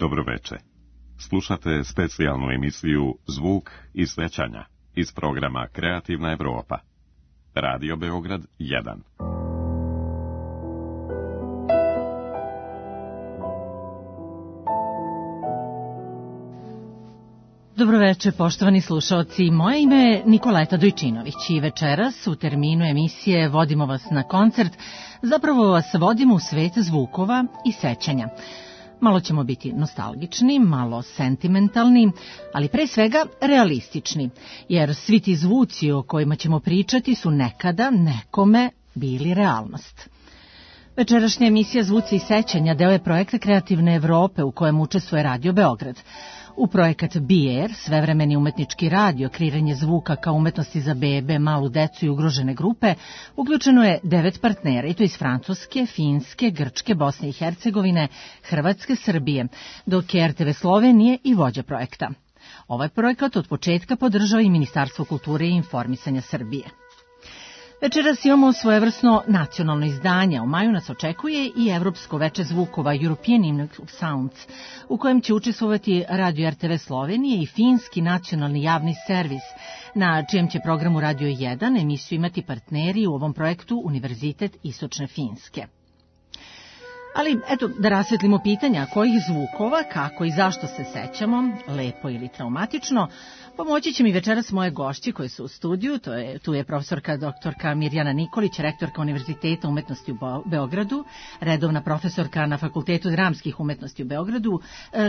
Dobroveče. Slušate specijalnu emisiju Zvuk i svećanja iz programa Kreativna Evropa. Radio Beograd 1. Dobroveče, poštovani slušaoci. Moje ime je Nikoleta Dojčinović i večeras u terminu emisije Vodimo vas na koncert, zapravo vas vodimo u svet zvukova i sećanja. Malo ćemo biti nostalgični, malo sentimentalni, ali pre svega realistični, jer svi ti zvuci o kojima ćemo pričati su nekada nekome bili realnost. Večerašnja emisija Zvuci i sećanja deo je projekta Kreativne Evrope u kojem učestvuje Radio Beograd. U projekat BR, svevremeni umetnički radio, kreiranje zvuka kao umetnosti za bebe, malu decu i ugrožene grupe, uključeno je 9 partnera, i to iz Francuske, Finske, Grčke, Bosne i Hercegovine, Hrvatske, Srbije, dok je RTV Slovenije i vođa projekta. Ovaj projekat od početka podržava i Ministarstvo kulture i informisanja Srbije. Večeras imamo svojevrsno nacionalno izdanje. U maju nas očekuje i Evropsko veče zvukova European Evening of Sounds, u kojem će učestvovati Radio RTV Slovenije i Finski nacionalni javni servis, na čijem će programu Radio 1 emisiju imati partneri u ovom projektu Univerzitet Istočne Finske. Ali, eto, da rasvetlimo pitanja kojih zvukova, kako i zašto se sećamo, lepo ili traumatično, pomoći će mi večeras moje gošće koje su u studiju. Tu je profesorka doktorka Mirjana Nikolić, rektorka Univerziteta umetnosti u Beogradu, redovna profesorka na Fakultetu dramskih umetnosti u Beogradu,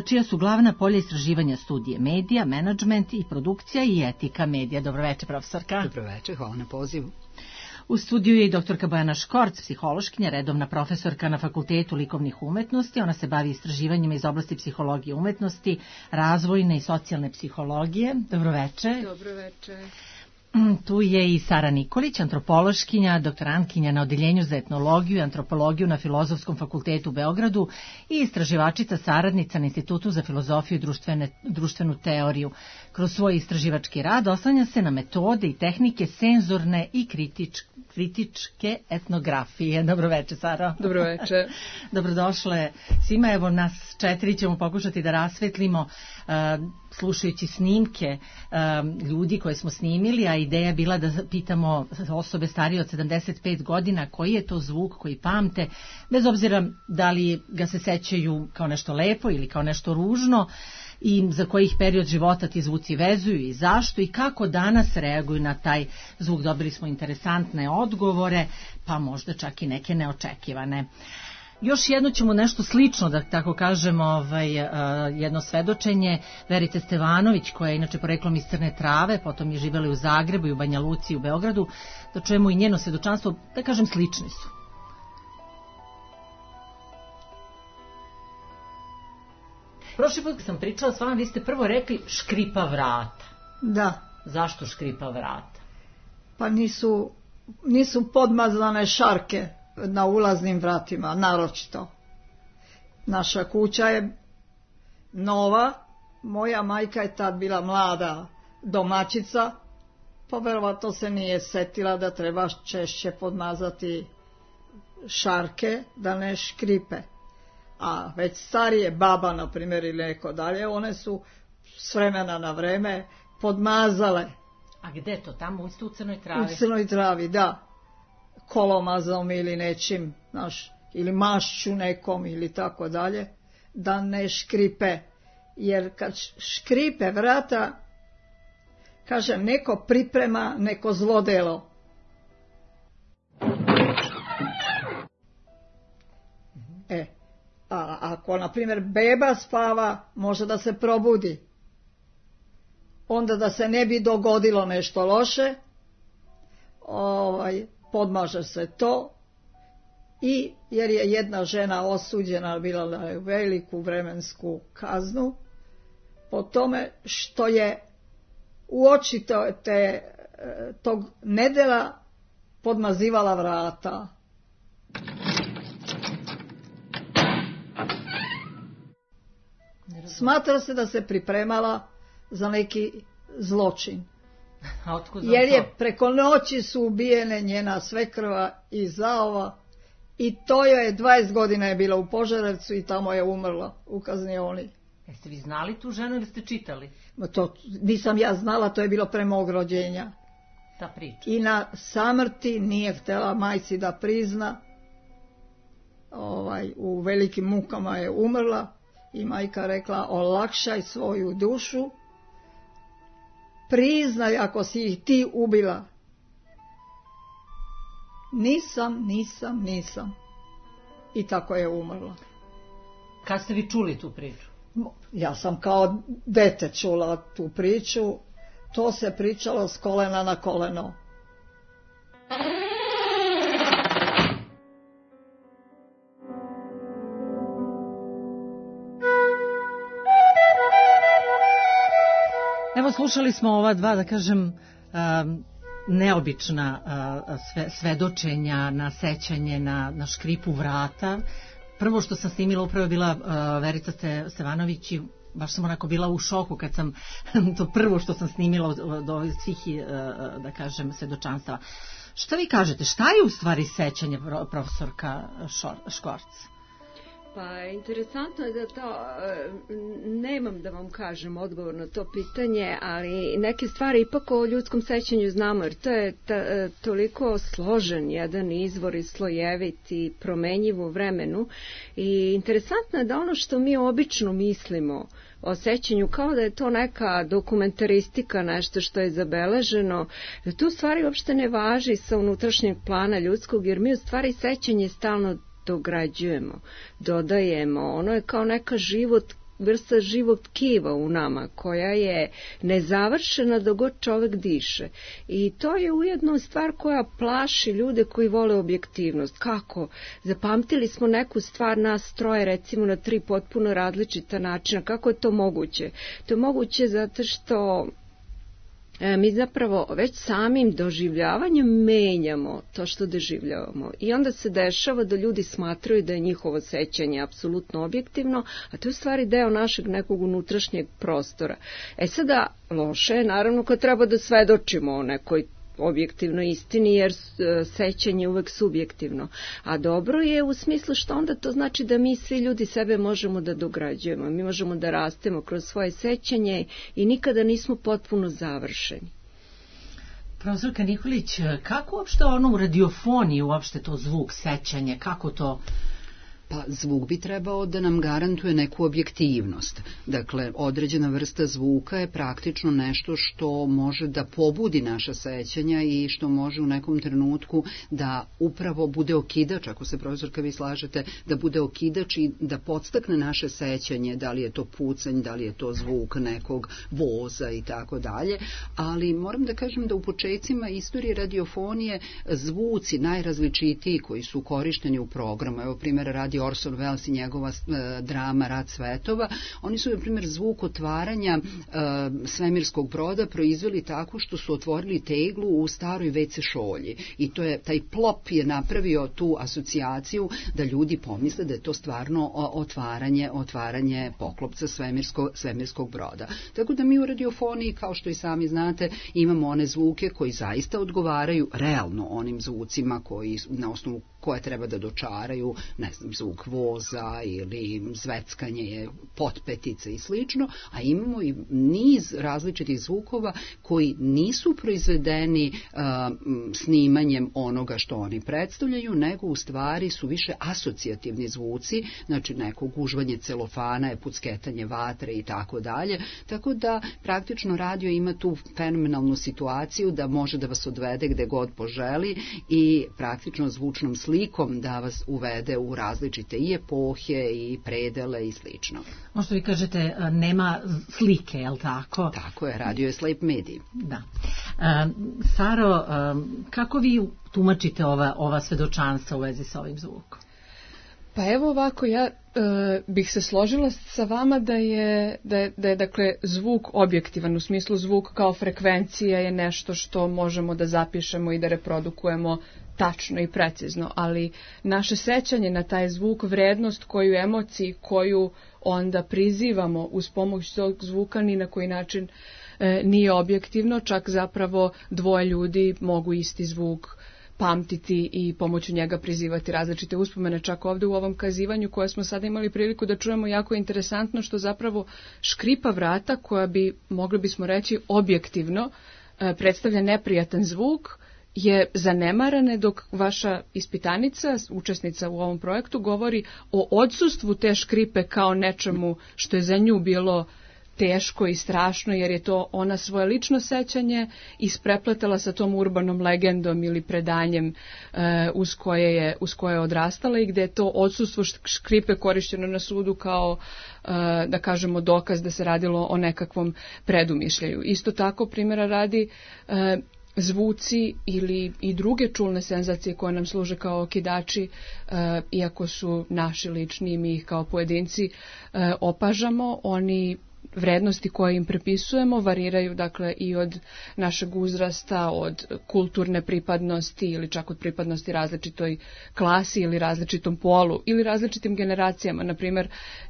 čija su glavna polja istraživanja studije medija, menadžment i produkcija i etika medija. Dobroveče, profesorka. Dobroveče, hvala na pozivu. U studiju je i doktorka Bojana Škorc, psihološkinja, redovna profesorka na Fakultetu likovnih umetnosti. Ona se bavi istraživanjima iz oblasti psihologije umetnosti, razvojne i socijalne psihologije. Dobroveče. Dobroveče. Tu je i Sara Nikolić, antropološkinja, doktorantkinja na Odeljenju za etnologiju i antropologiju na Filozofskom fakultetu u Beogradu i istraživačica saradnica na Institutu za filozofiju i društvenu teoriju. Kroz svoj istraživački rad oslanja se na metode i tehnike senzorne i kritičke etnografije. Dobroveče, Sara. Dobroveče. Dobrodošle svima. Evo, nas 4 ćemo pokušati da rasvetlimo slušajući snimke ljudi koje smo snimili, a ideja je bila da pitamo osobe starije od 75 godina koji je to zvuk koji pamte, bez obzira da li ga se sećaju kao nešto lepo ili kao nešto ružno, i za kojih period života ti zvuci vezuju i zašto i kako danas reaguju na taj zvuk. Dobili smo interesantne odgovore, pa možda čak i neke neočekivane. Još jedno ćemo nešto slično, da tako kažemo, jedno svedočenje Verice Stevanović, koja je inače poreklom iz Crne Trave, potom je živjela u Zagrebu i u Banja Luci i u Beogradu, da čujemo i njeno svedočanstvo, da kažem, slični su. Prošli put kad sam pričala s vama, vi ste prvo rekli škripa vrata. Da. Zašto škripa vrata? Pa nisu podmazane šarke na ulaznim vratima, naročito. Naša kuća je nova, moja majka je tad bila mlada domaćica, pa verovatno se nije setila da treba češće podmazati šarke da ne škripe. A već starije, baba na primjer ili neko dalje, one su s vremena na vreme podmazale. A gde to? Tamo isto u Crnoj Travi? U Crnoj Travi, da. Kolomazom ili nečim, ili mašću nekom ili tako dalje, da ne škripe. Jer kad škripe vrata, kaže, neko priprema neko zlodelo. A ako, na primjer, beba spava, može da se probudi. Onda da se ne bi dogodilo nešto loše, podmaže se to, i jer je jedna žena osuđena bila na veliku vremensku kaznu po tome što je uoči tog nedela podmazivala vrata. Smatra se da se pripremala za neki zločin. Jer je preko noći su ubijene njena svekrva i zaova I to je 20 godina je bila u Požarevcu i tamo je umrla u kaznioni. Jeste vi znali tu ženu ili ste čitali? To nisam ja znala, to je bilo pre mog rođenja. Ta priča. I na samrti nije htjela majci da prizna, u velikim mukama je umrla i majka rekla olakšaj svoju dušu, priznaj ako si ih ti ubila. Nisam. I tako je umrla. Kad ste vi čuli tu priču? Ja sam kao dete čula tu priču, to se pričalo s kolena na koleno. Evo, slušali smo ova dva, da kažem, neobična svedočenja na sećanje na škripu vrata. Prvo što sam snimila upravo je bila Verica Stevanović i baš sam onako bila u šoku kad sam to prvo što sam snimila od ovih svih, da kažem, svedočanstava. Šta vi kažete, šta je u stvari sećanje, profesorka Škvorc? Pa interesantno je da to, nemam da vam kažem odgovor na to pitanje, ali neke stvari ipak o ljudskom sećanju znamo, jer to je toliko složen jedan izvor i slojevit i promenjiv u vremenu. I interesantno je da ono što mi obično mislimo o sećanju, kao da je to neka dokumentaristika, nešto što je zabeleženo, da tu stvari uopšte ne važi sa unutrašnjeg plana ljudskog, jer mi u stvari sećanje stalno dograđujemo, dodajemo, ono je kao neka vrsta živog tkiva u nama, koja je nezavršena dok god čovek diše. I to je ujedno stvar koja plaši ljude koji vole objektivnost. Kako? Zapamtili smo neku stvar, nas troje, recimo, na 3 potpuno različita načina. Kako je to moguće? To je moguće zato što mi zapravo već samim doživljavanjem menjamo to što doživljavamo. I onda se dešava da ljudi smatraju da je njihovo sećanje apsolutno objektivno, a to je u stvari deo našeg nekog unutrašnjeg prostora. Sada, loše je naravno kad treba da svedočimo o nekoj objektivnoj istini, jer sećanje je uvek subjektivno. A dobro je u smislu što onda to znači da mi svi ljudi sebe možemo da dograđujemo. Mi možemo da rastemo kroz svoje sećanje i nikada nismo potpuno završeni. Profesorka Nikolić, kako uopšte ono u radiofoniji, uopšte to zvuk, sećanje, kako to... Pa zvuk bi trebao da nam garantuje neku objektivnost. Dakle, određena vrsta zvuka je praktično nešto što može da pobudi naša sećanja i što može u nekom trenutku da upravo bude okidač, ako se, profesorka, vi slažete, da bude okidač i da podstakne naše sećanje, da li je to pucanj, da li je to zvuk nekog voza i tako dalje. Ali moram da kažem da u počecima istorije radiofonije zvuci najrazličitiji koji su korišteni u programu, evo primjer radi Orson Welles i njegova drama Rat svetova, oni su, na primjer, zvuk otvaranja svemirskog broda proizveli tako što su otvorili teglu u staroj WC šolji. I to je, taj plop je napravio tu asocijaciju da ljudi pomisle da je to stvarno otvaranje poklopca svemirskog broda. Tako da mi u radiofoniji, kao što i sami znate, imamo one zvuke koji zaista odgovaraju realno onim zvucima koji, na osnovu koje treba da dočaraju, ne znam, zvuk voza ili zveckanje potpetica i slično, a imamo i niz različitih zvukova koji nisu proizvedeni snimanjem onoga što oni predstavljaju, nego u stvari su više asocijativni zvuci, znači neko gužvanje celofana, pucketanje vatre i tako dalje, tako da praktično radio ima tu fenomenalnu situaciju da može da vas odvede gde god poželi i praktično zvučnom slikom da vas uvede u različite i epohe i predele i slično. Ono što vi kažete, nema slike, je li tako? Tako je, radio je slep medij. Da. Saro, kako vi tumačite ova svedočanstva u vezi sa ovim zvukom? Pa evo ovako, ja bih se složila sa vama da je dakle zvuk objektivan, u smislu zvuk kao frekvencija je nešto što možemo da zapišemo i da reprodukujemo tačno i precizno, ali naše sećanje na taj zvuk, vrednost koju emociji koju onda prizivamo uz pomoć tog zvuka ni na koji način nije objektivno, čak zapravo dvoje ljudi mogu isti zvuk pamtiti i pomoću njega prizivati različite uspomene. Čak ovde u ovom kazivanju koje smo sada imali priliku da čujemo, jako je interesantno što zapravo škripa vrata, koja bi, mogli bismo reći, objektivno predstavlja neprijatan zvuk, je zanemarane, dok vaša ispitanica, učesnica u ovom projektu, govori o odsustvu te škripe kao nečemu što je za nju bilo teško i strašno, jer je to ona svoje lično sećanje isprepletala sa tom urbanom legendom ili predanjem uz koje je odrastala, i gde je to odsustvo škripe korišćeno na sudu kao, da kažemo, dokaz da se radilo o nekakvom predumišljaju. Isto tako, primjera radi, zvuci ili i druge čulne senzacije koje nam služe kao okidači, iako su naši lični i mi ih kao pojedinci opažamo, oni vrednosti koje im prepisujemo variraju, dakle, i od našeg uzrasta, od kulturne pripadnosti ili čak od pripadnosti različitoj klasi ili različitom polu ili različitim generacijama. Naprimjer,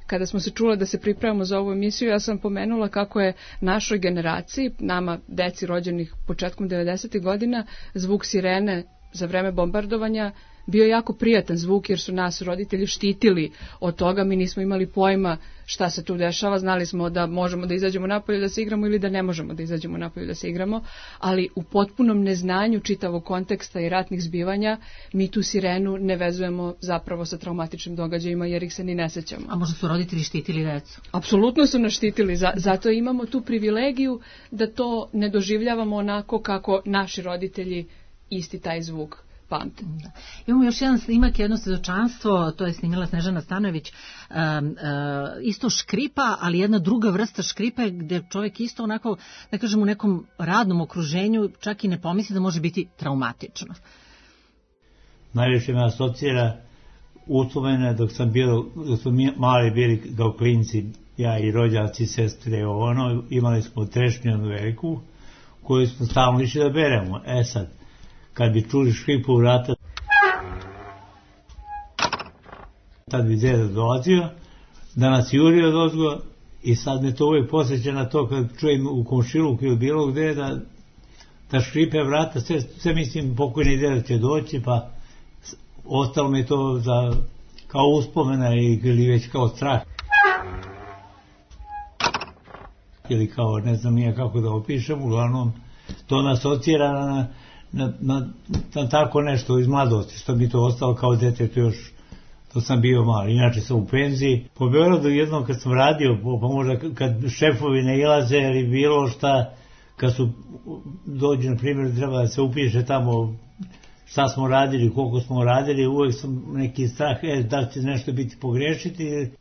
kada smo se čule da se pripremamo za ovu emisiju, ja sam pomenula kako je našoj generaciji, nama deci rođenih početkom 90. godina, zvuk sirene za vreme bombardovanja bio jako prijatan zvuk, jer su nas roditelji štitili od toga. Mi nismo imali pojma šta se tu dešava, znali smo da možemo da izađemo napolje da se igramo ili da ne možemo da izađemo napolje da se igramo, ali u potpunom neznanju čitavog konteksta i ratnih zbivanja mi tu sirenu ne vezujemo zapravo sa traumatičnim događajima, jer ih se ni ne sećamo. A možda su roditelji štitili decu? Apsolutno su nas štitili, zato imamo tu privilegiju da to ne doživljavamo onako kako naši roditelji isti taj zvuk pamte. Da. Imamo još jedan snimak, jedno svedočanstvo, to je snimila Snežana Stanojević, isto škripa, ali jedna druga vrsta škripe, gde čovjek isto onako, da kažem, u nekom radnom okruženju čak i ne pomisli da može biti traumatično. Najviše me asocira uspomene dok smo mali bili kao klinci, ja i rođaci, sestre, imali smo trešnju veliku koju smo stalno išli da beremo. Sad, kad bi čuli škripu vrata, tad bi deda dolazio, da nas juri od ozgo, i sad me to uvijek posjeća na to kad čujem u komšiluku ili bilo gde da škripe vrata, sve mislim pokojni deda će doći, pa ostalo mi to kao uspomena ili već kao strah. Ili kao, ne znam nije kako da opišem, uglavnom to nas asocira na tako nešto iz mladosti, što mi to ostalo kao dete, još to sam bio mali. Inače sam u penziji. Po Beogradu jednom kad sam radio, pa možda kad šefovi ne ilaze ili bilo šta, kad su dođu, na primjer, treba da se upiše tamo šta smo radili, koliko smo radili, uvek sam neki strah, da će nešto biti pogrešiti.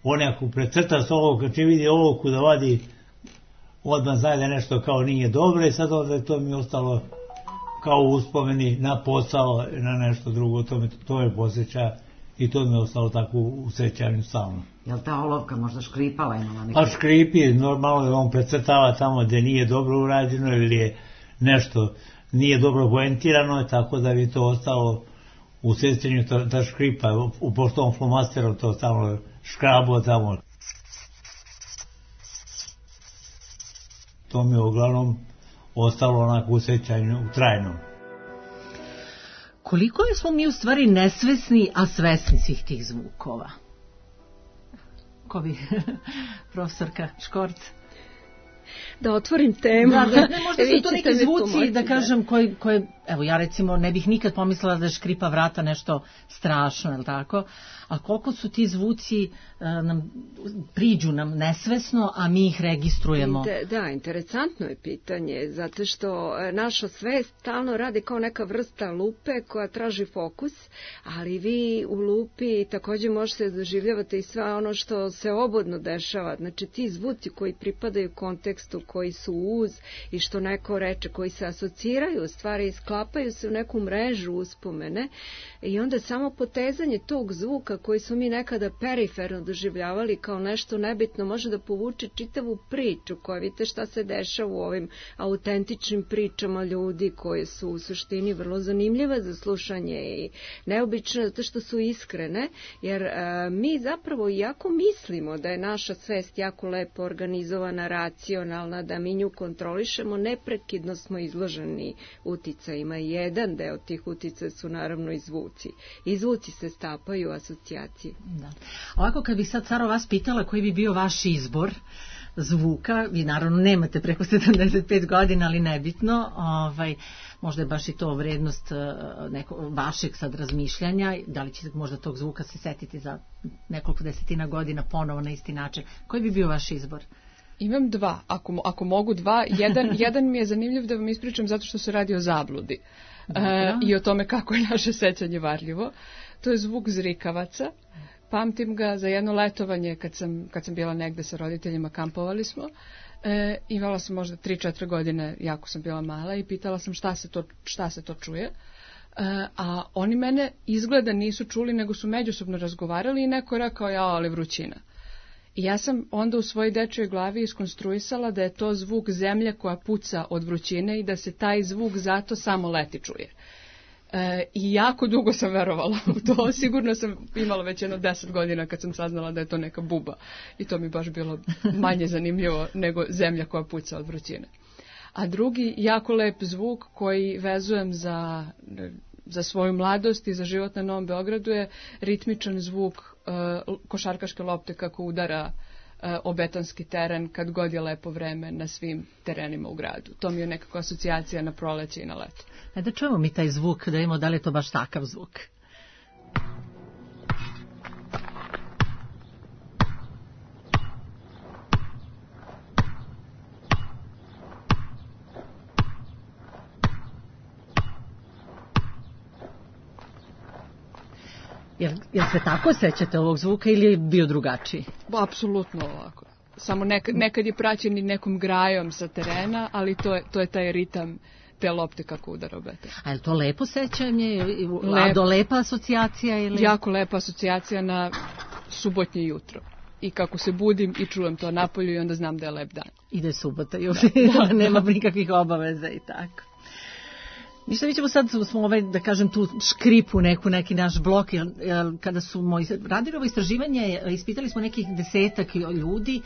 On ako precrta s ovog, kad će vidi olovku da vadi, odmah zna da nešto kao nije dobro, i sad onda to mi ostalo kao uspomeni na posao, na nešto drugo, to me posjeća i to mi je ostalo tako u sećanju stalno. Je li ta olovka možda škripala, imala neki? Pa škripi, normalno da on precrtava tamo gde nije dobro urađeno ili je nešto nije dobro poentirano, tako da bi to ostalo u sećanju, ta škripa, pošto on flomasterom to stalno škrabo tamo. To mi je uglavnom ostalo onako u sećanju trajno. Koliko smo mi u stvari nesvesni, a svesni svih tih zvukova? Ko bi, profesorka Škorc? Da otvorim temu. Da, možda su to neki zvuci, da kažem, koje, evo ja recimo ne bih nikad pomislila da je škripa vrata nešto strašno, je li tako? A koliko su ti zvuci priđu nam nesvesno, a mi ih registrujemo? Da, interesantno je pitanje, zato što naša svest stalno radi kao neka vrsta lupe koja traži fokus, ali vi u lupi također možete doživljavati i sve ono što se obodno dešava. Znači ti zvuci koji pripadaju kontekstu kontekstu, koji su uz i što neko reče, koji se asociraju, stvari sklapaju se u neku mrežu uspomene i onda samo potezanje tog zvuka koji su mi nekada periferno doživljavali kao nešto nebitno može da povuče čitavu priču koja vidite šta se dešava u ovim autentičnim pričama ljudi koje su u suštini vrlo zanimljive za slušanje i neobične zato što su iskrene, jer mi zapravo jako mislimo da je naša svest jako lepo organizovana, racionalna, da mi nju kontrolišemo, neprekidno smo izloženi uticajima. Jedan deo tih uticaja su naravno i zvuci. I zvuci se stapaju asocijacije. Da. Ovako kad bih sad Saro vas pitala koji bi bio vaš izbor zvuka, vi naravno nemate preko 75 godina, ali nebitno, možda je baš i to vrednost vašeg sad razmišljanja, da li ćete možda tog zvuka se setiti za nekoliko desetina godina ponovo na isti način. Koji bi bio vaš izbor? Imam dva, ako mogu dva. Jedan mi je zanimljiv da vam ispričam zato što se radi o zabludi i o tome kako je naše sećanje varljivo. To je zvuk zrikavaca. Pamtim ga za jedno letovanje kad sam bila negde sa roditeljima, kampovali smo. Imala sam možda 3-4 godine, jako sam bila mala i pitala sam šta se to čuje. A oni mene izgleda nisu čuli, nego su međusobno razgovarali i neko je rekao, ali vrućina. I ja sam onda u svojoj dečjoj glavi iskonstruisala da je to zvuk zemlje koja puca od vrućine i da se taj zvuk zato samo leti čuje. I jako dugo sam verovala u to. Sigurno sam imala već jedno 10 godina kad sam saznala da je to neka buba. I to mi baš bilo manje zanimljivo nego zemlja koja puca od vrućine. A drugi jako lep zvuk koji vezujem za svoju mladost i za život na Novom Beogradu je ritmičan zvuk košarkaške lopte kako udara o betonski teren kad god je lepo vreme na svim terenima u gradu. To mi je nekako asocijacija na proleće i na leto. Da čujemo mi taj zvuk, da vidimo da li je to baš takav zvuk. Jel se tako sećate ovog zvuka ili je bio drugačiji? Apsolutno ovako. Samo nekad je praćen i nekom grajom sa terena, ali to je taj ritam te lopte kako udara o beton. A je to lepo sećanje? Lepa asocijacija? Ili? Jako lepa asocijacija na subotnje jutro. I kako se budim i čujem to napolju i onda znam da je lep dan. I da je subota, nema nikakvih obaveza i tako. Ništa, mi ćemo sad, da kažem, tu škripu neki naš blok, kada su radili ovo istraživanje, ispitali smo nekih 10 ljudi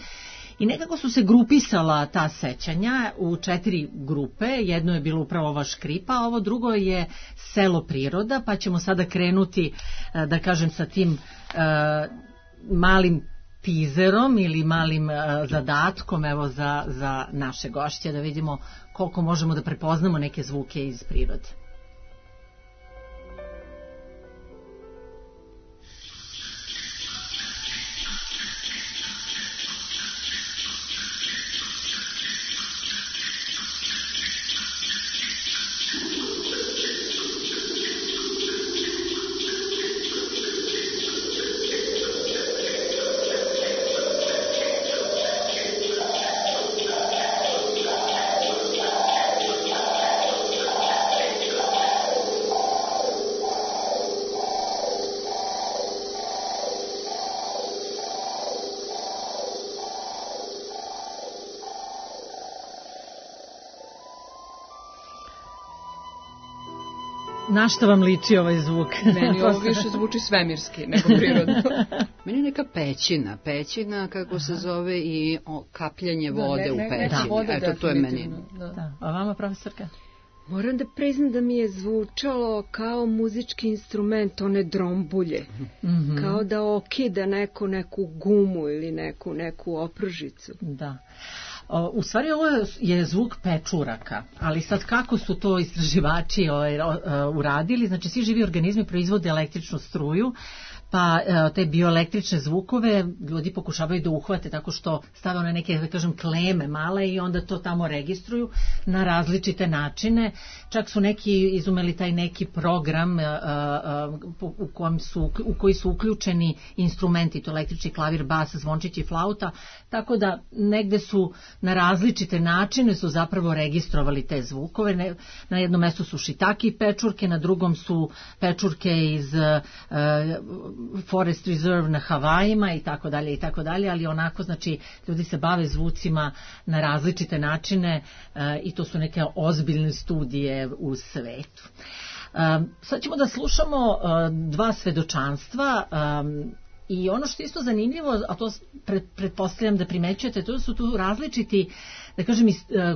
i nekako su se grupisala ta sećanja u 4 grupe. Jedno je bilo upravo ova škripa, a ovo drugo je selo priroda, pa ćemo sada krenuti, da kažem, sa tim malim tizerom ili malim zadatkom evo za naše gošće, da vidimo koliko možemo da prepoznamo neke zvuke iz prirode. Na što vam liči ovaj zvuk? Meni ovo više zvuči svemirski nego prirodno. Meni je neka pećina kako se zove i kapljanje vode u pećini. Eto, to je meni. Da. A vama, profesorka? Moram da priznam da mi je zvučalo kao muzički instrument, one drombulje. Kao da okida neku gumu ili neku opružicu. Da. U stvari ovo je zvuk pečuraka, ali sad kako su to istraživači uradili, znači svi živi organizmi proizvode električnu struju, pa te bioelektrične zvukove ljudi pokušavaju da uhvate tako što stave one neke, da kažem, kleme male i onda to tamo registruju na različite načine. Čak su neki izumeli taj neki program u koji su uključeni instrumenti, to električni klavir, bas, zvončić i flauta, tako da negde su na različite načine su zapravo registrovali te zvukove. Na jednom mestu su šitaki pečurke, na drugom su pečurke iz Forest Reserve na Havajima i tako dalje, ali onako, znači, ljudi se bave zvucima na različite načine i to su neke ozbiljne studije u svetu. Sad ćemo da slušamo dva svedočanstva i ono što je isto zanimljivo, a to pretpostavljam da primećujete, to su tu različiti, da kažem,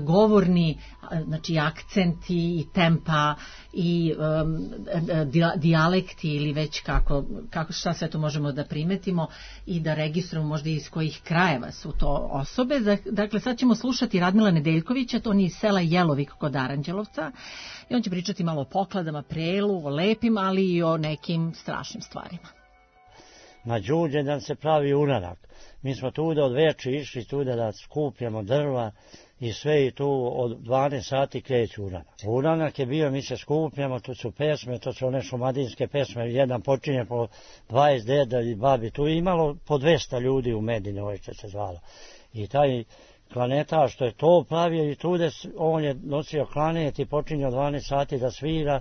govorni, znači akcenti i tempa i dijalekti ili već kako šta sve to možemo da primetimo i da registrujemo možda iz kojih krajeva su to osobe. Dakle, sad ćemo slušati Radmila Nedeljkovića, to on je iz sela Jelovik kod Aranđelovca i on će pričati malo o pokladama, prelu, o lepim, ali i o nekim strašnim stvarima. Na Đurđendan se pravi uranak. Mi smo tuda od veče išli tuda da skupljamo drva i sve i tu od 12 sati kreće uranak. Uranak je bio, mi se skupljamo, tu su pesme, to su one šumadinske pesme, jedan počinje po 20 deda i babi, tu je imalo po 200 ljudi u Medini, ovo što se zvalo. I taj klaneta što je to pravio i tude, on je nosio klanet i počinje od 12 sati da svira,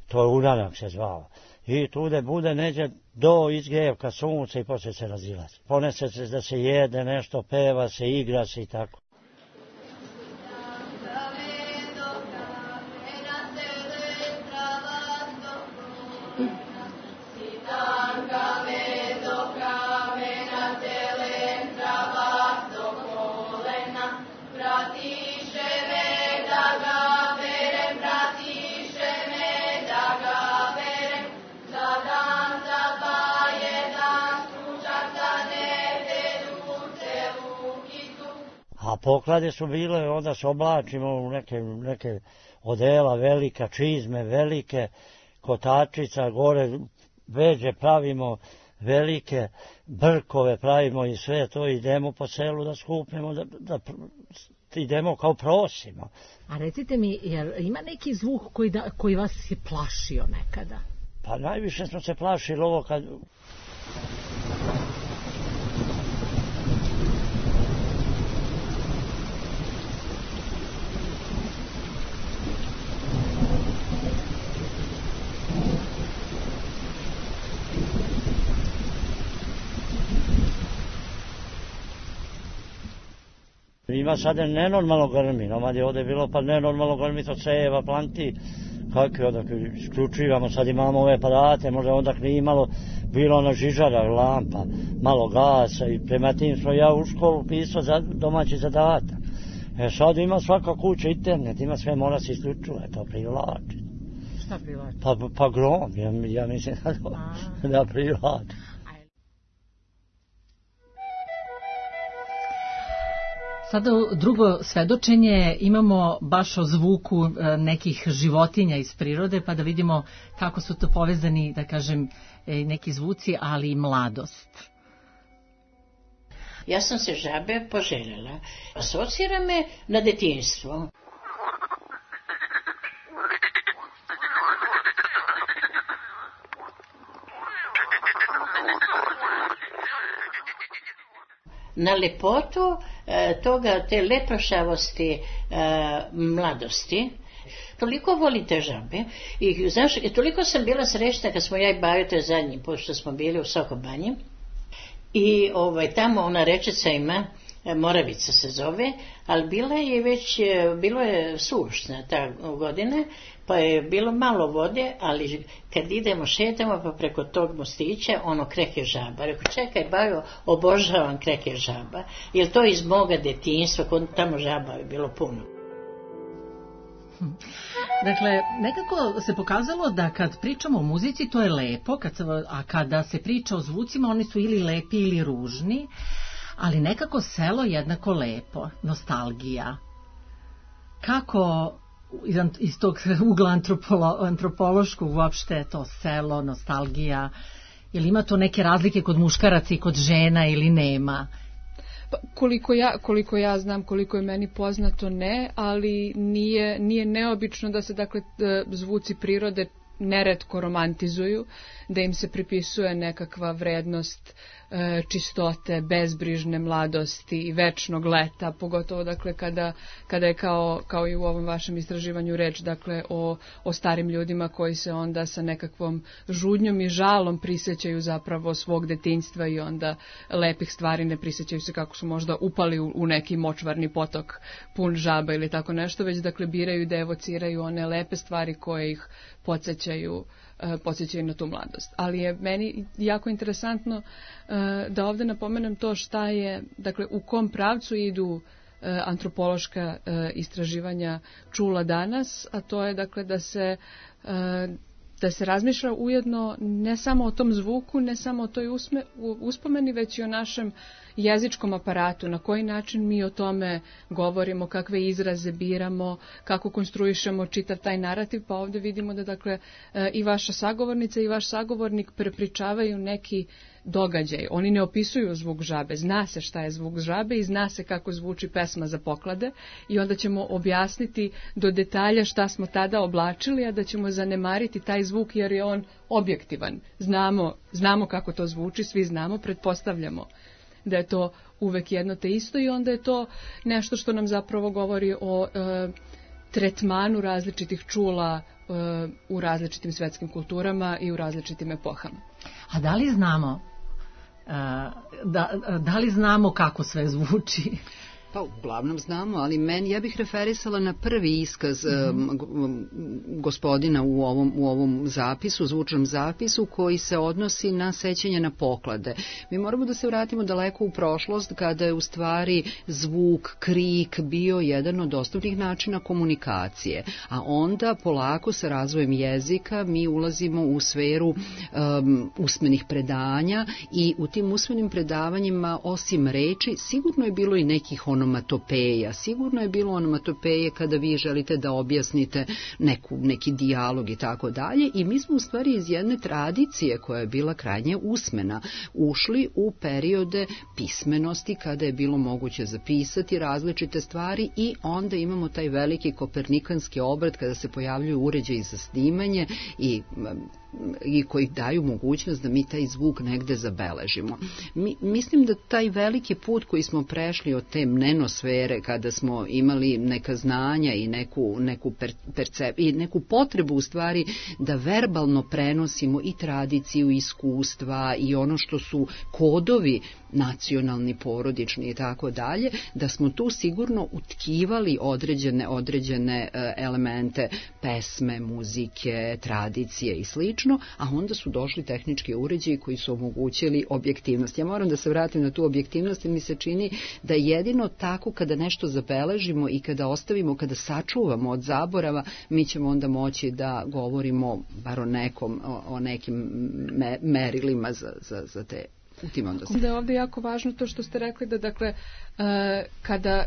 to je uranak se zvalo. I tude bude neđe do izgrevka sunca i poslije se razilazi. Ponese se da se jede nešto, peva se, igra se i tako. A poklade su bile, onda se oblačimo u neke odela velika, čizme velike, kotačica, gore veđe pravimo velike, brkove pravimo i sve to, idemo po selu da skupimo, da idemo kao prosimo. A recite mi, jer ima neki zvuk koji vas je plašio nekada? Pa najviše smo se plašili ovo kad... Ima sada nenormalno grmi, nomad je ovdje bilo pa nenormalno grmi, to ceva, planti, kako onda isključivamo, sad imamo ove aparate, možda onda nije imalo, bilo na žižara, lampa, malo gasa i prema tim smo ja u školu pisao za domaći zadatak. Sad ima svaka kuća internet, ima sve, mora se isključuje, to privlači. Šta privlači? Pa grom, ja mislim da privlači. Sada drugo svedočenje imamo baš o zvuku nekih životinja iz prirode, pa da vidimo kako su to povezani, da kažem, neki zvuci, ali i mladost. Ja sam se žabe poželjela. Asocira me na detinjstvo. Na lepotu te lepršavosti mladosti. Toliko volite žabe i znaš, toliko sam bila srećna kad smo ja i Bajo, to je zadnji put što smo bili u Sokobanji i tamo ona rečica ima, Moravica se zove, ali bilo je sušna ta godine, pa je bilo malo vode, ali kad idemo šetamo pa preko tog mostića, kreke žaba. Rekao, čekaj Bajo, obožavam kreke žaba, jer to iz moga detinjstva, kod tamo žaba je bilo puno. Dakle, nekako se pokazalo da kad pričamo o muzici to je lepo, a kada se priča o zvucima oni su ili lepi ili ružni, ali nekako selo jednako lepo, nostalgija. Kako iz tog ugla antropološkog uopšte to selo, nostalgija Jel ima to neke razlike kod muškaraca i kod žena ili nema? Pa, koliko ja znam, koliko je meni poznato, ne, ali nije neobično da se dakle zvuci prirode neretko romantizuju, da im se pripisuje nekakva vrednost čistote, bezbrižne mladosti i večnog leta, pogotovo dakle kada je kao i u ovom vašem istraživanju reč dakle o starim ljudima koji se onda sa nekakvom žudnjom i žalom prisjećaju zapravo svog detinjstva i onda lepih stvari ne prisjećaju se kako su možda upali u neki močvarni potok pun žaba ili tako nešto, već dakle biraju da evociraju one lepe stvari koje ih podsjećaju na tu mladost. Ali je meni jako interesantno da ovdje napomenem to šta je, dakle u kom pravcu idu antropološka istraživanja čula danas, a to je dakle da se razmišlja ujedno ne samo o tom zvuku, ne samo o toj uspomeni, već i o našem jezičkom aparatu, na koji način mi o tome govorimo, kakve izraze biramo, kako konstruišemo čitav taj narativ, pa ovdje vidimo da dakle i vaša sagovornica i vaš sagovornik prepričavaju neki događaj. Oni ne opisuju zvuk žabe, zna se šta je zvuk žabe i zna se kako zvuči pesma za poklade i onda ćemo objasniti do detalja šta smo tada oblačili, a da ćemo zanemariti taj zvuk jer je on objektivan. Znamo kako to zvuči, svi znamo, pretpostavljamo da je to uvek jedno te isto i onda je to nešto što nam zapravo govori o tretmanu različitih čula u različitim svetskim kulturama i u različitim epohama. A da li znamo da li znamo kako sve zvuči? Pa uglavnom znamo, ali ja bih referisala na prvi iskaz gospodina u ovom zapisu, zvučnom zapisu, koji se odnosi na sećanje na poklade. Mi moramo da se vratimo daleko u prošlost, kada je u stvari zvuk, krik bio jedan od osnovnih načina komunikacije, a onda polako sa razvojem jezika mi ulazimo u sferu usmenih predanja i u tim usmenim predavanjima osim reči sigurno je bilo i nekih onomatopeja. Sigurno je bilo onomatopeje kada vi želite da objasnite neki dijalog i tako dalje i mi smo u stvari iz jedne tradicije koja je bila krajnje usmena ušli u periode pismenosti kada je bilo moguće zapisati različite stvari i onda imamo taj veliki kopernikanski obrat kada se pojavljuju uređaji za snimanje i koji daju mogućnost da mi taj zvuk negde zabeležimo. Mislim da taj veliki put koji smo prešli od te mnenosfere, kada smo imali neka znanja i neku potrebu u stvari da verbalno prenosimo i tradiciju, iskustva i ono što su kodovi nacionalni, porodični i tako dalje, da smo tu sigurno utkivali određene elemente pesme, muzike, tradicije i slično, a onda su došli tehnički uređaji koji su omogućili objektivnost. Ja moram da se vratim na tu objektivnost, jer mi se čini da jedino tako kada nešto zabeležimo i kada ostavimo, kada sačuvamo od zaborava, mi ćemo onda moći da govorimo bar o nekim merilima za te. Da je ovdje jako važno to što ste rekli da dakle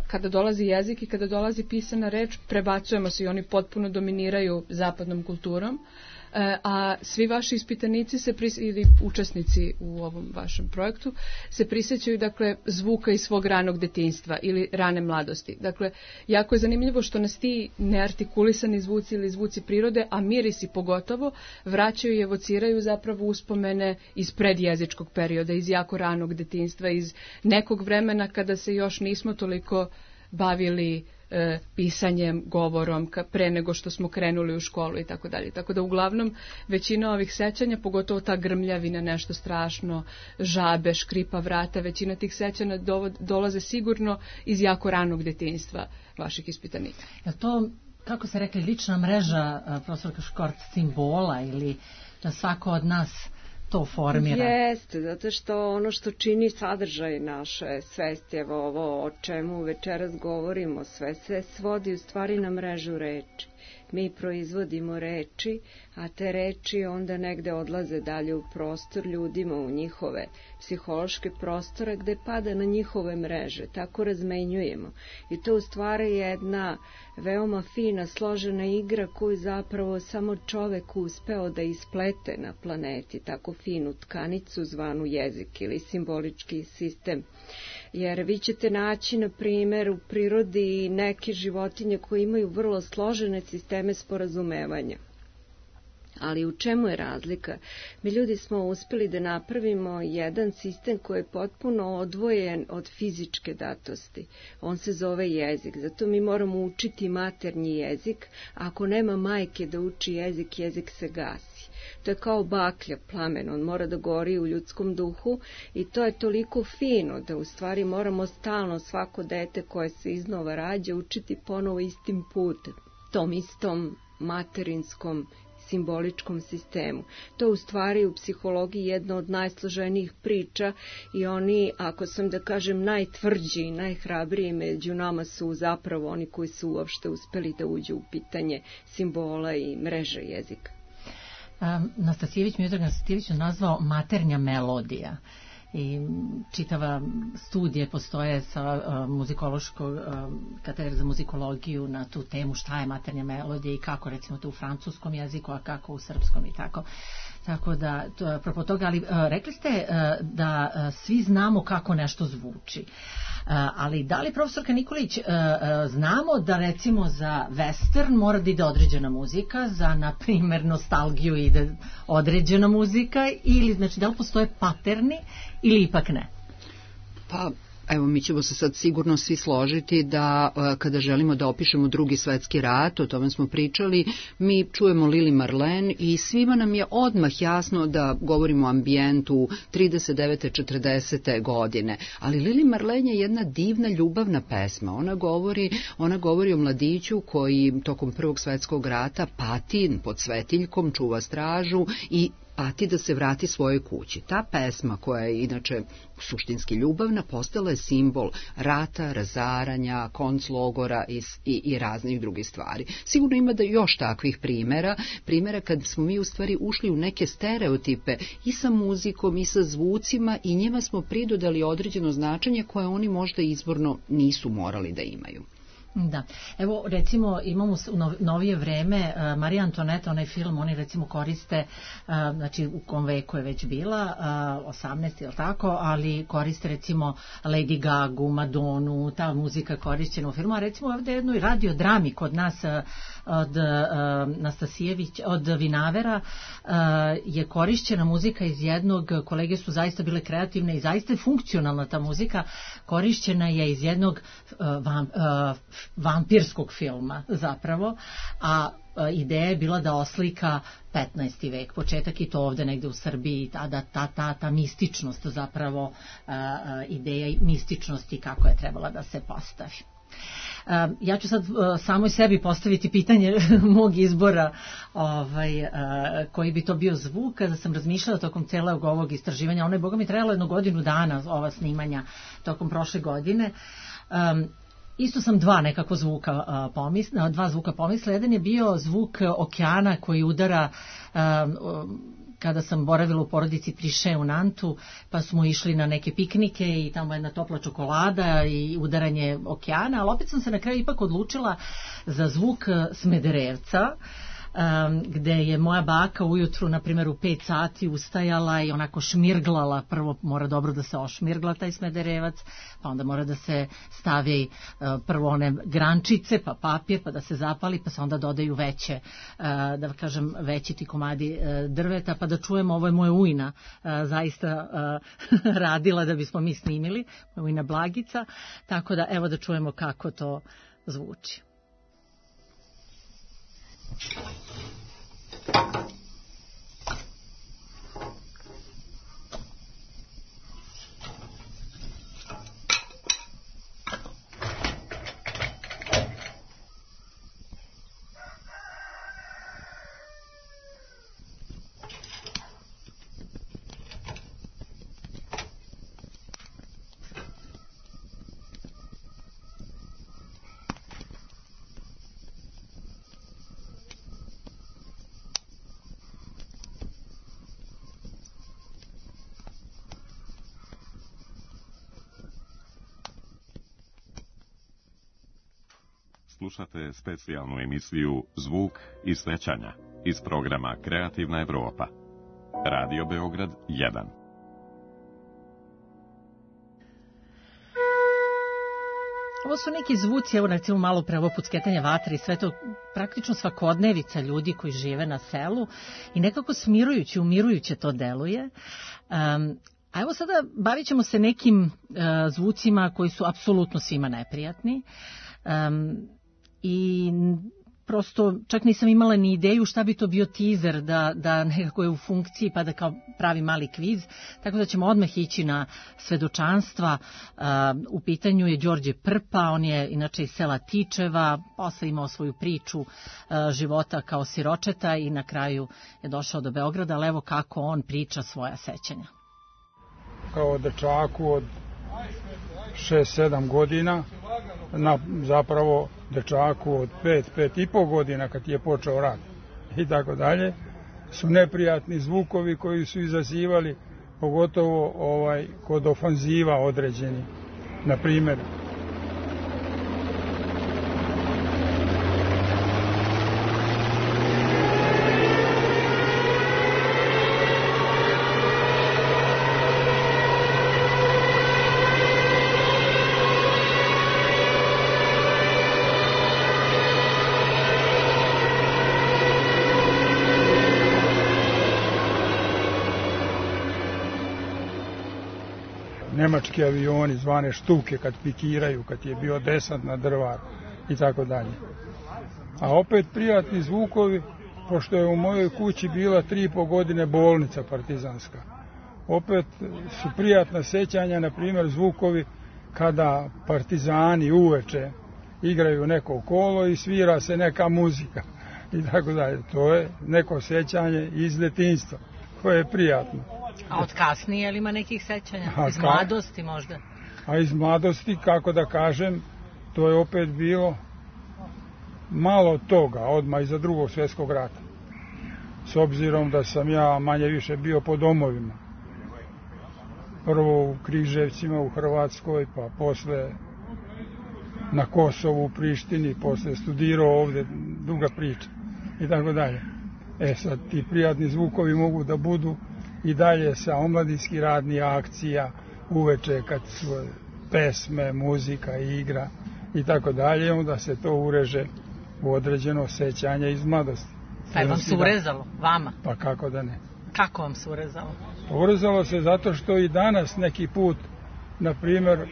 kada dolazi jezik i kada dolazi pisana reč prebacujemo se i oni potpuno dominiraju zapadnom kulturom, a svi vaši ispitanici ili učesnici u ovom vašem projektu se prisjećaju dakle zvuka iz svog ranog detinjstva ili rane mladosti. Dakle, jako je zanimljivo što nas ti neartikulisani zvuci ili zvuci prirode, a mirisi pogotovo, vraćaju i evociraju zapravo uspomene iz predjezičkog perioda, iz jako ranog detinjstva, iz nekog vremena kada se još nismo toliko bavili pisanjem, govorom pre nego što smo krenuli u školu i tako dalje. Tako da uglavnom većina ovih sećanja, pogotovo ta grmljavina, nešto strašno, žabe, škripa vrata, većina tih sećanja dolaze sigurno iz jako ranog detinjstva vaših ispitanika. Je to, kako se rekli, lična mreža, profesorka Škort, simbola ili da svako od nas to formira? Jeste, zato što ono što čini sadržaj naše svesti, evo ovo o čemu večeras govorimo, sve se svodi u stvari na mrežu reči. mi proizvodimo reči, a te reči onda negde odlaze dalje u prostor ljudima, u njihove psihološke prostore gde pada na njihove mreže, tako razmenjujemo. I to u stvari je jedna veoma fina, složena igra koju zapravo samo čovek uspeo da isplete na planeti, tako finu tkanicu zvanu jezik ili simbolički sistem. Jer vi ćete naći, na primer, u prirodi neke životinje koje imaju vrlo složene sisteme sporazumevanja. Ali u čemu je razlika? Mi ljudi smo uspeli da napravimo jedan sistem koji je potpuno odvojen od fizičke datosti. On se zove jezik, zato mi moramo učiti maternji jezik. Ako nema majke da uči jezik, jezik se gasi. To je kao baklja, plamen, on mora da gori u ljudskom duhu i to je toliko fino da u stvari moramo stalno svako dete koje se iznova rađa učiti ponovo istim putem, tom istom materinskom simboličkom sistemu. To u stvari u psihologiji jedna od najsloženijih priča i oni, ako sam da kažem najtvrđi i najhrabriji među nama su zapravo oni koji su uopšte uspeli da uđu u pitanje simbola i mreže jezika. Miodrag Nastasijević je nazvao maternja melodija i čitava studije postoje sa muzikološkog katedre za muzikologiju na tu temu šta je maternja melodija i kako recimo to u francuskom jeziku, a kako u srpskom i tako. Tako da, apropo toga, ali rekli ste da svi znamo kako nešto zvuči. Ali da li, profesorka Nikolić, znamo da recimo za western mora da ide određena muzika, za, na primjer, nostalgiju ide određena muzika, ili znači da li postoje paterni ili ipak ne? Pa, evo, mi ćemo se sad sigurno svi složiti da kada želimo da opišemo Drugi svetski rat, o tome smo pričali, mi čujemo Lili Marlene i svima nam je odmah jasno da govorimo o ambijentu 39. 40. godine. Ali Lili Marlene je jedna divna ljubavna pesma. Ona govori o mladiću koji tokom Prvog svetskog rata pati pod svetiljkom, čuva stražu i pati da se vrati svojoj kući. Ta pesma, koja je inače suštinski ljubavna, postala je simbol rata, razaranja, konclogora i raznih drugih stvari. Sigurno ima da još takvih primjera kad smo mi u stvari ušli u neke stereotipe i sa muzikom i sa zvucima i njima smo pridodali određeno značenje koje oni možda izvorno nisu morali da imaju. Da, evo recimo imamo u novije vreme Marija Antoneta, onaj film, oni recimo koriste, znači u kom veku je već bila, 18 ili tako, ali koriste recimo Lady Gagu, Madonu, ta muzika korišćena u filmu, a recimo ovdje jednoj radiodrami kod nas od Nastasijević, od Vinavera je korišćena muzika iz jednog, kolege su zaista bile kreativne i zaista je funkcionalna ta muzika, korišćena je iz jednog vampirskog filma zapravo, a ideja je bila da oslika 15. vek, početak i to ovde negde u Srbiji, ta mističnost zapravo, ideja mističnosti kako je trebala da se postavi. Ja ću sad samoj sebi postaviti pitanje mog izbora koji bi to bio zvuk. Kada sam razmišljala tokom celog ovog istraživanja, ono je boga mi trajalo 1 godinu dana, ova snimanja tokom prošle godine, isto sam dva zvuka pomisla. Jedan je bio zvuk okeana koji udara, kada sam boravila u porodici Triše u Nantu, pa smo išli na neke piknike i tamo jedna topla čokolada i udaranje okeana, ali opet sam se na kraju ipak odlučila za zvuk Smederevca, gde je moja baka ujutru, na primjer u 5 sati ustajala i onako šmirglala, prvo mora dobro da se ošmirgla taj Smederevac, pa onda mora da se stavi prvo one grančice, pa papir, pa da se zapali, pa se onda dodaju veće, da kažem, veći ti komadi drveta, pa da čujemo, ovo je moja ujna zaista radila da bismo mi snimili, moja ujna Blagica, tako da evo da čujemo kako to zvuči. Slušate specijalnu emisiju Zvuk iz svećanja iz programa Kreativna Evropa. Radio Beograd 1. Ovo su neki zvuci, evo recimo malo pre ovo pucketanje vatre i sve to praktično svakodnevica ljudi koji žive na selu i nekako smirujuće, umirujuće to deluje. A evo sada bavit ćemo se nekim zvucima koji su apsolutno svima neprijatni i prosto čak nisam imala ni ideju šta bi to bio teaser da nekako je u funkciji pa da kao pravi mali kviz, tako da ćemo odmah ići na svedočanstva. U pitanju je Đorđe Prpa, on je inače iz sela Tičeva, posle imao svoju priču života kao siročeta i na kraju je došao do Beograda, ali evo kako on priča svoja sećanja. Kao dečaku od 6-7 godina, zapravo dečaku od 5-5,5 godina kad je počeo rat i tako dalje, su neprijatni zvukovi koji su izazivali pogotovo kod ofanziva određeni. Na primjer, nemački avioni zvane štuke kad pikiraju, kad je bio desant na Drvaru i tako dalje. A opet prijatni zvukovi, pošto je u mojoj kući bila 3,5 godine bolnica partizanska. Opet su prijatna sećanja, na primjer zvukovi kada partizani uveče igraju neko kolo i svira se neka muzika i tako dalje. To je neko sećanje iz detinjstva koje je prijatno. A od kasnije, ali ima nekih sećanja? Iz mladosti možda? A iz mladosti, kako da kažem, to je opet bilo malo toga, odmah iza Drugog svjetskog rata. S obzirom da sam ja manje više bio po domovima. Prvo u Križevcima, u Hrvatskoj, pa posle na Kosovu, u Prištini, posle studirao ovde, druga priča i tako dalje. Sad ti prijatni zvukovi mogu da budu i dalje sa omladinski radni akcija, uveče kad su pesme, muzika, igra i tako dalje, onda se to ureže u određeno sećanje iz mladosti. Pa je vam se urezalo, vama? Pa kako da ne. Kako vam se urezalo? Urezalo se zato što i danas neki put, na primjer,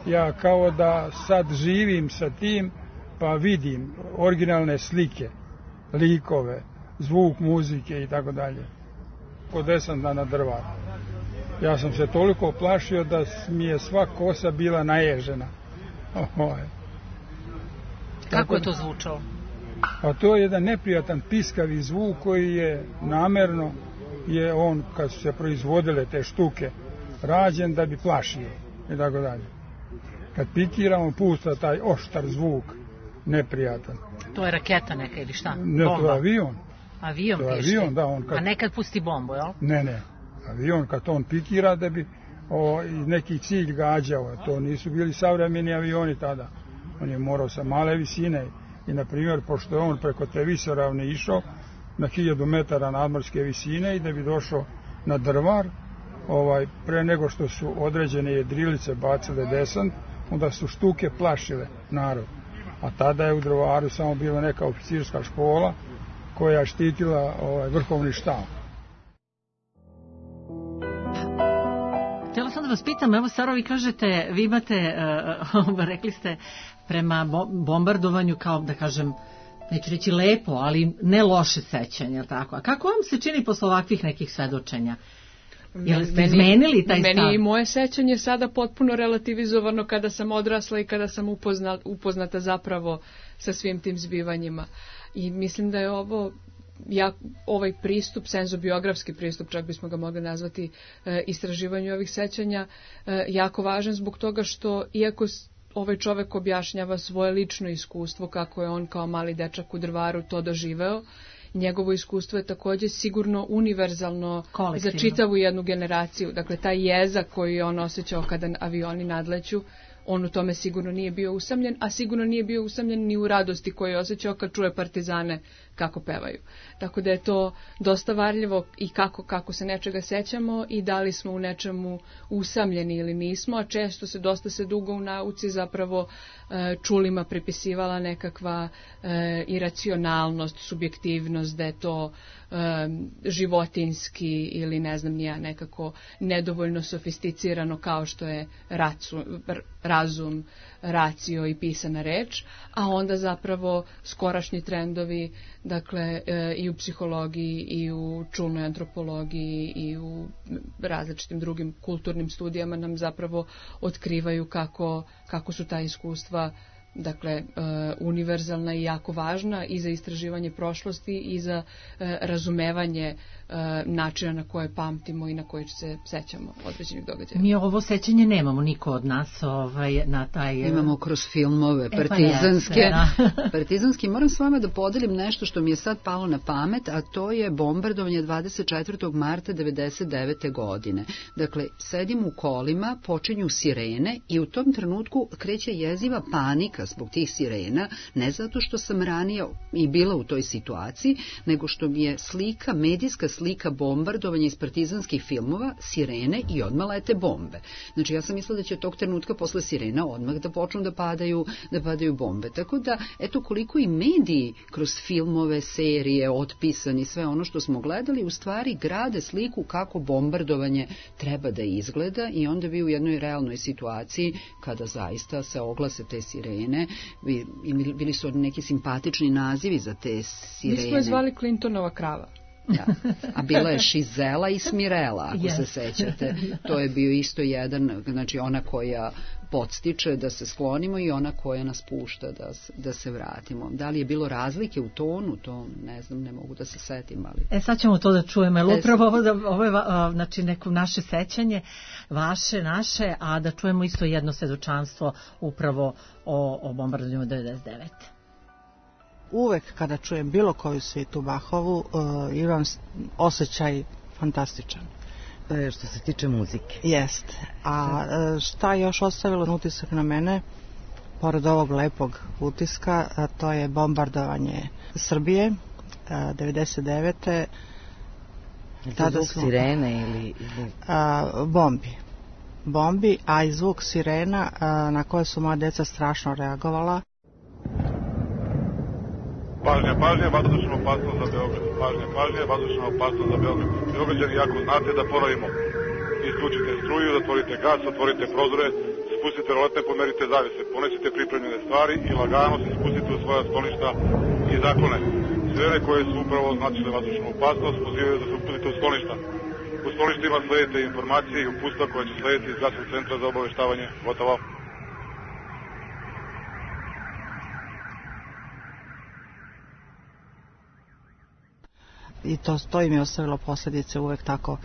ja kao da sad živim sa tim, pa vidim originalne slike, likove, zvuk muzike i tako dalje. Kod desanta na Drvaru. Ja sam se toliko plašio da mi je sva kosa bila naježena. Kako je to zvučalo? A to je jedan neprijatan piskavi zvuk koji je namerno, je on kad su se proizvodile te štuke rađen da bi plašio i tako dalje. Kad pikiramo pušta taj oštar zvuk, neprijatan. To je raketa neka ili šta? Ne, to je avion. Avion pišti? Avion, da, on kad... A nekad pusti bombu, jel? Ne. Avion kad on pikira da bi neki cilj gađao. To nisu bili savremeni avioni tada. On je morao sa male visine i, na primjer, pošto je on preko te visoravne išao na 1000 metara nadmorske visine i da bi došao na Drvar, pre nego što su određene jedrilice bacile desant, onda su štuke plašile narod. A tada je u Drvaru samo bila neka oficirska škola koja je štitila vrhovni štab. Htjela sam da vas pitam, evo Saro, vi kažete, vi imate, rekli ste, prema bombardovanju kao, da kažem, neću reći lepo, ali ne loše sećanja, tako. A kako vam se čini posle ovakvih nekih svedočenja? Jel ste izmenili taj stav? Meni i moje sećanje sada potpuno relativizovano kada sam odrasla i kada sam upoznata zapravo sa svim tim zbivanjima. I mislim da je ovaj pristup, senzobiografski pristup, čak bismo ga mogli nazvati, istraživanju ovih sećanja, jako važan zbog toga što, iako ovaj čovek objašnjava svoje lično iskustvo, kako je on kao mali dečak u Drvaru to doživeo, njegovo iskustvo je takođe sigurno univerzalno za čitavu jednu generaciju. Dakle, taj jezak koji je on osjećao kada avioni nadleću, on u tome sigurno nije bio usamljen, a sigurno nije bio usamljen ni u radosti koju je osjećao kad čuje partizane kako pevaju. Tako da je to dosta varljivo i kako se nečega sećamo i da li smo u nečemu usamljeni ili nismo, a često dosta se dugo u nauci zapravo čulima pripisivala nekakva iracionalnost, subjektivnost, da je to životinski ili ne znam nija nekako nedovoljno sofisticirano kao što je razum, racio i pisana reč, a onda zapravo skorašnji trendovi, dakle i u psihologiji i u čulnoj antropologiji i u različitim drugim kulturnim studijama nam zapravo otkrivaju kako su ta iskustva dakle univerzalna i jako važna i za istraživanje prošlosti i za razumevanje načina na koje pamtimo i na koji se sećamo određenih događaja. Mi ovo sećanje nemamo niko od nas na taj... Imamo kroz filmove partizanske. Partizanski. Moram s vama da podelim nešto što mi je sad palo na pamet, a to je bombardovanje 24. marta 1999. godine. Dakle, sedim u kolima, počinju sirene i u tom trenutku kreće jeziva panika zbog tih sirena, ne zato što sam ranije i bila u toj situaciji, nego što mi je slika, medijska slika bombardovanja iz partizanskih filmova, sirene i odmah lete bombe. Znači ja sam mislila da će tog trenutka posle sirena odmah da počnu da padaju bombe. Tako da, eto koliko i mediji kroz filmove, serije, otpisani, sve ono što smo gledali, u stvari grade sliku kako bombardovanje treba da izgleda i onda vi u jednoj realnoj situaciji, kada zaista se oglase te sirene, bili su neki simpatični nazivi za te sirene. Mi smo je zvali Clintonova krava. Da. A bila je Šizela i Smirela, ako se sećate. To je bio isto jedan, znači ona koja podstiče da se sklonimo i ona koja nas pušta da se vratimo. Da li je bilo razlike u tonu, to ne znam, ne mogu da se setim. Ali... sad ćemo to da čujemo, jer upravo ovo je znači, neko naše sećanje, vaše, naše, a da čujemo isto jedno svedočanstvo upravo o bombardovanju 99. Uvek kada čujem bilo koju svitu Bachovu, imam osjećaj fantastičan. Što se tiče muzike. Jest. A šta je još ostavilo utisak na mene, pored ovog lepog utiska, to je bombardovanje Srbije, 99. Tada zvuk sirene ili... Bombi, a i zvuk sirena na koje su moja deca strašno reagovala. Pažnja, vazdušna opasnost za Beograd. Pažnja, vazdušna opasnost za Beograd. Beograđani, ako znate da ponovimo, isključite struju, zatvorite gas, otvorite prozore, spustite roletne, pomerite zavise, ponesite pripremljene stvari i lagano se spustite u svoja skloništa i zaklone. Sirene koje su upravo označile vazdušnu opasnost pozivaju da se upustite u skloništa. U skloništima sledite informacije i upustva koja će slediti iz gradskog centra za obaveštavanje. Gotovo. I to im je ostavilo posljedice uvek tako,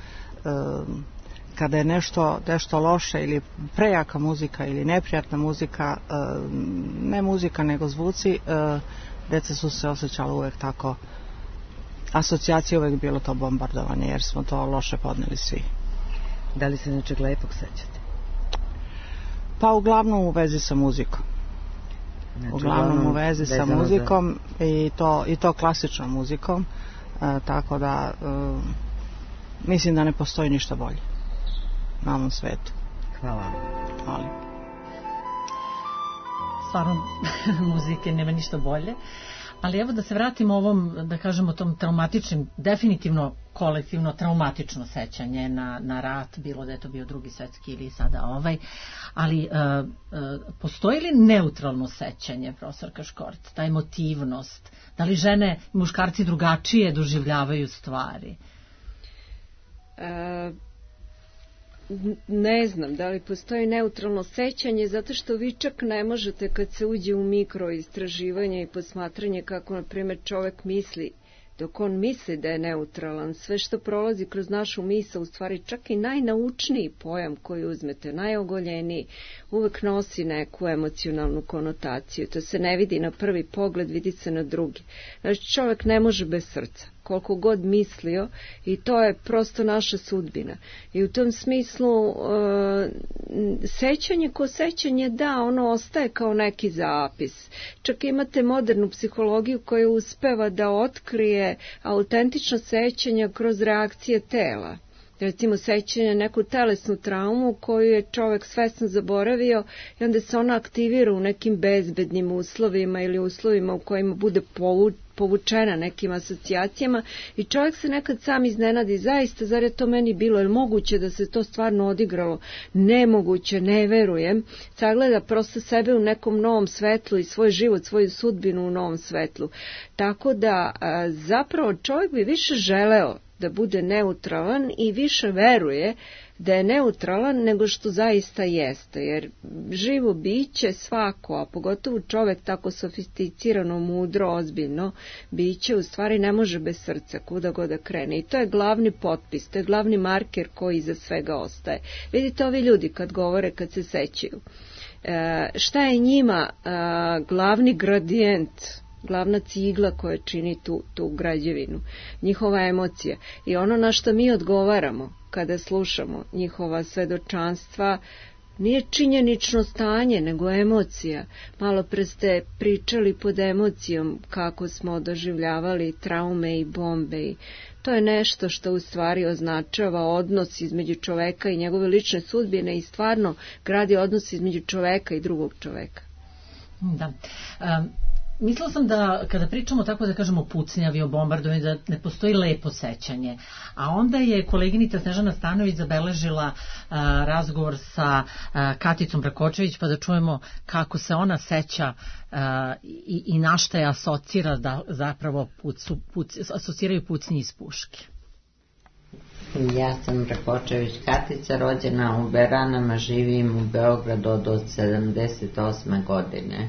kada je nešto loše ili prejaka muzika ili neprijatna muzika, ne muzika nego zvuci, deca su se osjećala uvek tako, asocijacija uvek bilo to bombardovanje, jer smo to loše podneli svi. Da li se nečeg lepog sećate? Pa uglavnom u vezi sa muzikom. Znači, uglavnom u vezi sa muzikom i to klasičnom muzikom. Tako da mislim da ne postoji ništa bolje na ovom svetu. Hvala. Hvala. Stvarno muzike nema ništa bolje, ali evo da se vratimo ovom, da kažemo tom traumatičnim, definitivno kolektivno traumatično sećanje na rat, bilo da je to bio Drugi svetski ili sada ali postoji li neutralno sećanje, profesorka Škort, ta emotivnost, da li žene i muškarci drugačije doživljavaju stvari? Ne znam da li postoji neutralno sećanje, zato što vi čak ne možete kad se uđe u mikroistraživanje i posmatranje kako, na primjer, čovek misli, dok on misli da je neutralan, sve što prolazi kroz našu misao, u stvari čak i najnaučniji pojam koji uzmete, najogoljeniji, uvek nosi neku emocionalnu konotaciju. To se ne vidi na prvi pogled, vidi se na drugi. Znači, čovek ne može bez srca. koliko god mislio, i to je prosto naša sudbina. I u tom smislu sećanje ko sećanje, da, ono ostaje kao neki zapis. Čak imate modernu psihologiju koja uspeva da otkrije autentično sećanja kroz reakcije tela. Recimo sećanje neku telesnu traumu koju je čovek svesno zaboravio i onda se ona aktivira u nekim bezbednim uslovima ili uslovima u kojima bude povučena nekim asocijacijama i čovjek se nekad sam iznenadi, zaista, zar je to meni bilo, je moguće da se to stvarno odigralo? Nemoguće, ne verujem. Sagleda prosto sebe u nekom novom svetlu i svoj život, svoju sudbinu u novom svetlu. Tako da zapravo čovjek bi više želeo da bude neutralan i više veruje da je neutralan nego što zaista jeste, jer živo biće svako, a pogotovo čovek tako sofisticirano, mudro, ozbiljno biće, u stvari ne može bez srca kuda god da krene, i to je glavni potpis, to je glavni marker koji iza svega ostaje. Vidite, ovi ljudi kad govore, kad se sećaju, šta je njima glavni gradijent, glavna cigla koja čini tu građevinu, njihova emocija i ono na što mi odgovaramo kada slušamo njihova svedočanstva nije činjenično stanje, nego emocija. Malo pre ste pričali pod emocijom kako smo doživljavali traume i bombe i to je nešto što u stvari označava odnos između čoveka i njegove lične sudbine i stvarno gradi odnos između čoveka i drugog čoveka. Da. Mislila sam da kada pričamo tako da kažemo o pucnjavi, o bombardovanju, da ne postoji lepo sećanje. A onda je koleginica Snežana Stanović zabeležila razgovor sa Katicom Brakočević, pa da čujemo kako se ona seća i na šta je asocira da zapravo asociraju pucnji iz puške. Ja sam Brakočević Katica, rođena u Beranama, živim u Beogradu od 78. godine.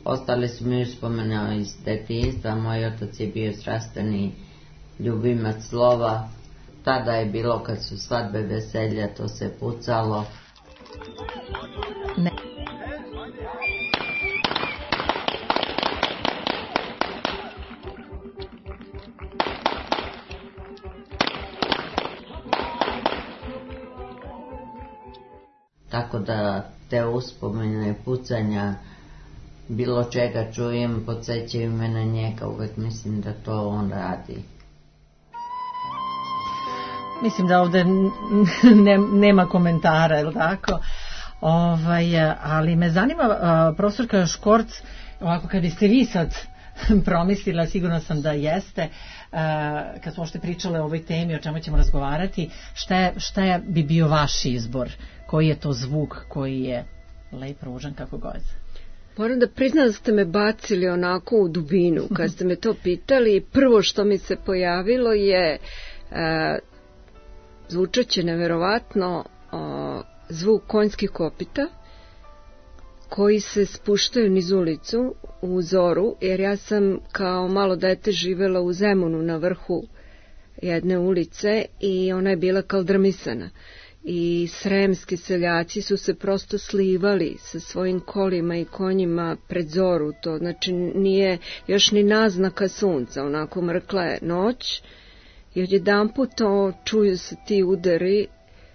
Ostali su mi uspomene iz detinjstva, moj otac je bio strastveni ljubimac slova, tada je bilo kad su svadbe, veselja, to se pucalo. Ne. Tako da te uspomene pucanja, bilo čega čujem, podsjećaju me na njega, uvek mislim da to on radi. Mislim da ovde nema komentara, je li tako? Ali me zanima, profesorka Škorc, ovako kad biste vi sad promislila, sigurno sam da jeste, kad smo ošte pričale o ovoj temi, o čemu ćemo razgovarati, šta bi bio vaš izbor? Koji je to zvuk koji je lep, ružan, kako god? Moram da priznam da ste me bacili onako u dubinu. Kad ste me to pitali, prvo što mi se pojavilo je zvučaće neverovatno zvuk konjskih kopita koji se spuštaju niz ulicu u zoru, jer ja sam kao malo dete živela u Zemunu na vrhu jedne ulice i ona je bila kaldrmisana. I sremski seljaci su se prosto slivali sa svojim kolima i konjima pred zoru, to znači nije još ni naznaka sunca, onako mrkla je noć i odjedanput čuju se ti udari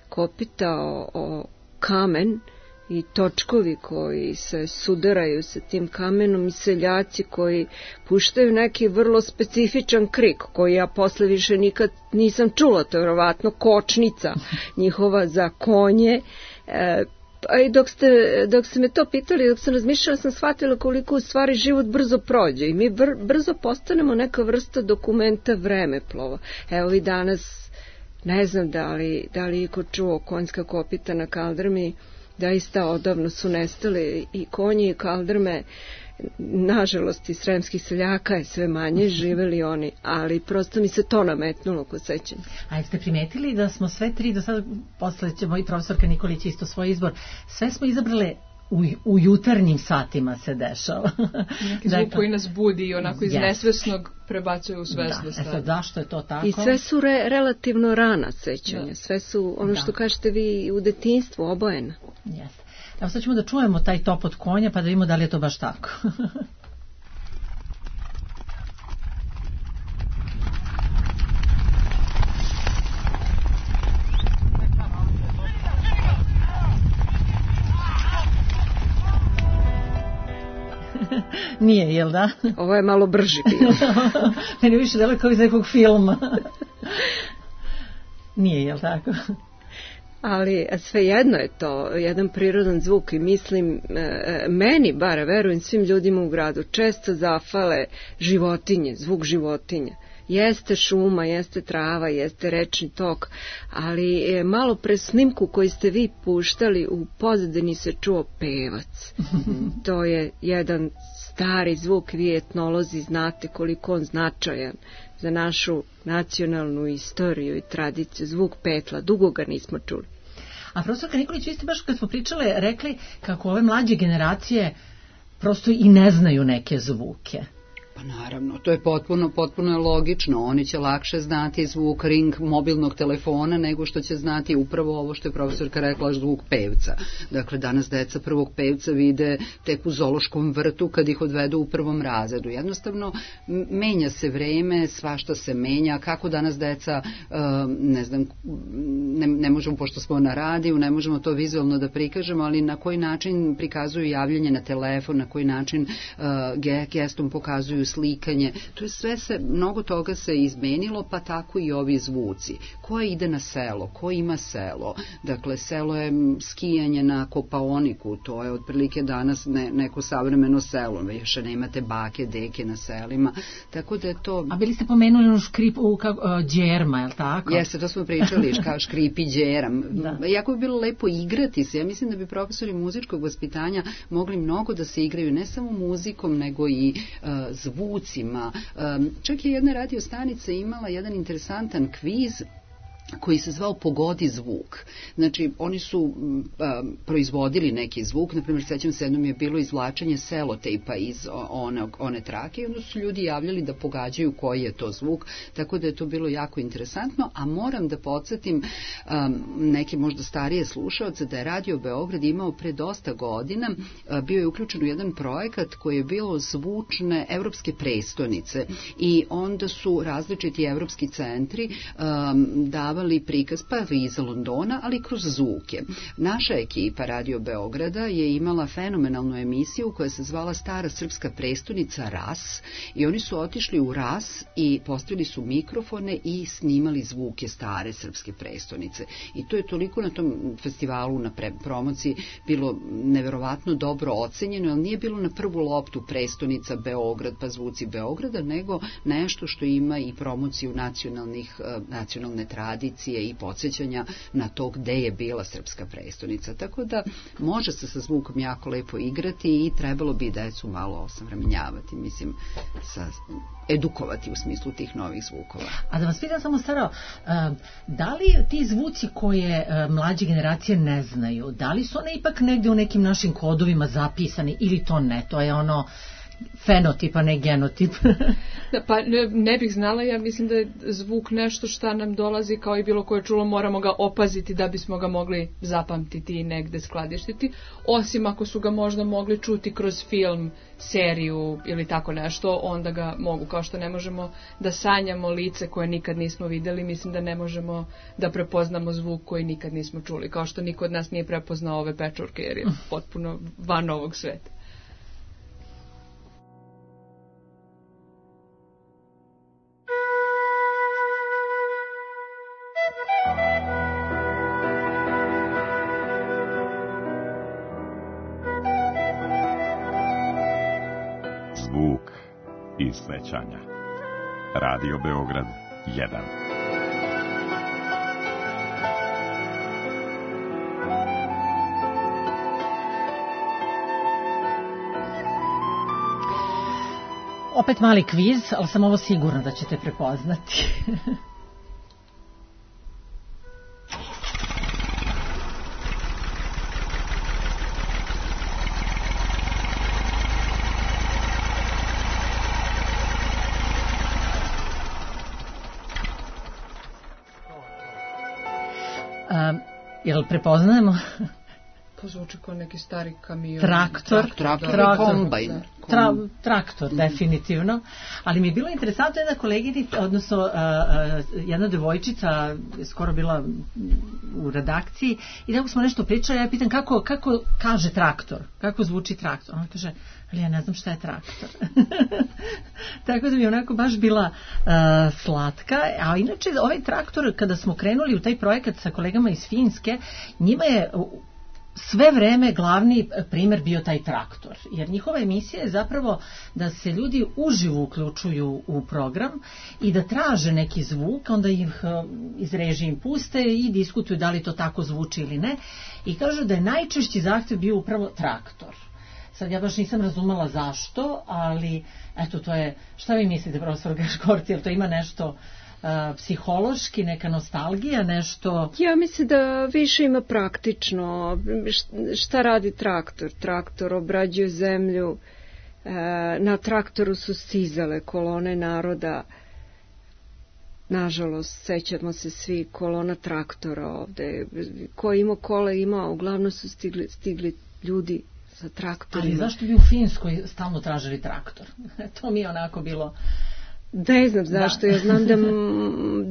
kopita o kamen i točkovi koji se sudaraju sa tim kamenom i seljaci koji puštaju neki vrlo specifičan krik koji ja posle više nikad nisam čula, to je vjerovatno kočnica njihova za konje. I dok ste me to pitali, dok sam razmišljala, sam shvatila koliko u stvari život brzo prođe i mi brzo postanemo neka vrsta dokumenta vremeplova. Evo i danas, ne znam da li iko čuo konjska kopita na kaldrmi, daista odavno su nestali i konji i kaldrme, nažalost i sremskih seljaka je sve manje, živeli oni, ali prosto mi se to nametnulo kod sećanja. A jeste primetili da smo sve tri, do sada posle će moj profesorka Nikolić isto svoj izbor, sve smo izabrale u jutarnjim satima se dešava. Neki zvuk koji nas budi i onako iz nesvesnog prebacuje u svesno stanje. Zašto je to tako? I sve su relativno rana sećanja, sve su ono što kažete vi u detinjstvu obojena. Jeste. Evo sad ćemo da čujemo taj topot konja pa da vidimo da li je to baš tako. Nije, jel da? Ovo je malo brži bio. Meni više delo kao iz nekog filma. Nije, jel tako? Ali svejedno je to jedan prirodan zvuk i mislim, meni bar, verujem svim ljudima u gradu, često zafale životinje, zvuk životinja. Jeste šuma, jeste trava, jeste rečni tok, ali malo pre snimku koji ste vi puštali, u pozadini se čuo pevac. To je jedan stari zvuk, vi etnolozi znate koliko on značajan za našu nacionalnu istoriju i tradiciju. Zvuk petla, dugo ga nismo čuli. A profesorka Nikolić, vi ste baš kad smo pričale rekli kako ove mlađe generacije prosto i ne znaju neke zvuke. Pa naravno, to je potpuno logično. Oni će lakše znati zvuk ring mobilnog telefona nego što će znati upravo ovo što je profesorka rekla, zvuk pevca. Dakle, danas deca prvog pevca vide tek u zoološkom vrtu kad ih odvedu u prvom razredu. Jednostavno, menja se vreme, svašta se menja. Kako danas deca, ne znam, ne možemo, pošto smo na radiju, ne možemo to vizualno da prikažemo, ali na koji način prikazuju javljanje na telefon, na koji način gestom pokazuju slikanje, to je sve mnogo toga se izmenilo, pa tako i ovi zvuci. Ko ide na selo, ko ima selo, dakle selo je skijanje na Kopaoniku, to je otprilike danas neko savremeno selo, više ne imate bake, deke na selima, tako da je to... A bili ste pomenuli ono škripu džerma, je li tako? Jeste, to smo pričali, kao škripi džeram. Jako bi bilo lepo igrati se, ja mislim da bi profesori muzičkog vaspitanja mogli mnogo da se igraju, ne samo muzikom, nego i zvucima. Čak je jedna radio stanica imala jedan interesantan kviz koji se zvao Pogodi zvuk. Znači, oni su proizvodili neki zvuk, na primjer, sećam se, jednom je bilo izvlačenje selotejpa iz one trake i onda su ljudi javljali da pogađaju koji je to zvuk, tako da je to bilo jako interesantno, a moram da podsjetim neke možda starije slušaoce da je Radio Beograd imao pre dosta godina, bio je uključen u jedan projekat koji je bilo zvučne evropske prestonice i onda su različiti evropski centri davali prikaz pa iz Londona, ali kroz zvuke. Naša ekipa Radio Beograda je imala fenomenalnu emisiju koja se zvala Stara srpska prestonica RAS i oni su otišli u RAS i postavili su mikrofone i snimali zvuke stare srpske prestonice. I to je toliko na tom festivalu, na promociji bilo neverovatno dobro ocenjeno, ali nije bilo na prvu loptu prestonica Beograd pa zvuci Beograda, nego nešto što ima i promociju nacionalne tradicije i podsjećanja na to gde je bila srpska prestonica. Tako da može se sa zvukom jako lepo igrati i trebalo bi decu malo osavremenjavati, mislim, edukovati u smislu tih novih zvukova. A da vas pitam samo, Saro, da li ti zvuci koje mlađe generacije ne znaju, da li su one ipak negde u nekim našim kodovima zapisani ili to ne? To je ono fenotip, a ne genotip. Pa ne bih znala, ja mislim da je zvuk nešto šta nam dolazi kao i bilo koje čulo, moramo ga opaziti da bismo ga mogli zapamtiti i negde skladištiti, osim ako su ga možda mogli čuti kroz film, seriju ili tako nešto, onda ga mogu, kao što ne možemo da sanjamo lice koje nikad nismo videli, mislim da ne možemo da prepoznamo zvuk koji nikad nismo čuli, kao što niko od nas nije prepoznao ove pečurke jer je potpuno van ovog sveta. Zvuk i sećanja. Radio Beograd 1. Opet mali kviz, ali sam ovo sigurna da ćete prepoznati. Jel prepoznajemo? To zvuči kao neki stari kamion. Traktor, kombajn. Traktor, definitivno. Ali mi je bilo interesantno jedna koleginica, odnosno jedna devojčica je skoro bila u redakciji i tako smo nešto pričali, ja pitam kako kaže traktor, kako zvuči traktor. Ona kaže, ali ja ne znam šta je traktor. Tako da mi je onako baš bila slatka. A inače, ovaj traktor, kada smo krenuli u taj projekat sa kolegama iz Finske, njima je sve vreme glavni primer bio taj traktor, jer njihova emisija je zapravo da se ljudi uživo uključuju u program i da traže neki zvuk, onda ih iz režije im puste i diskutuju da li to tako zvuči ili ne, i kažu da je najčešći zahtev bio upravo traktor. Sad ja baš nisam razumela zašto, ali eto, to je, šta vi mislite, profesor Gaškorci, jel to ima nešto psihološki, neka nostalgija, nešto? Ja mislim da više ima praktično. Šta radi traktor? Traktor obrađuje zemlju, na traktoru su stizale kolone naroda, nažalost, sećamo se svi kolona traktora ovde, ko ima kola ima, uglavnom su stigli ljudi sa traktorima. Ali zašto bi u Finskoj stalno tražili traktor? To mi je onako bilo... Ne znam zašto, ja znam da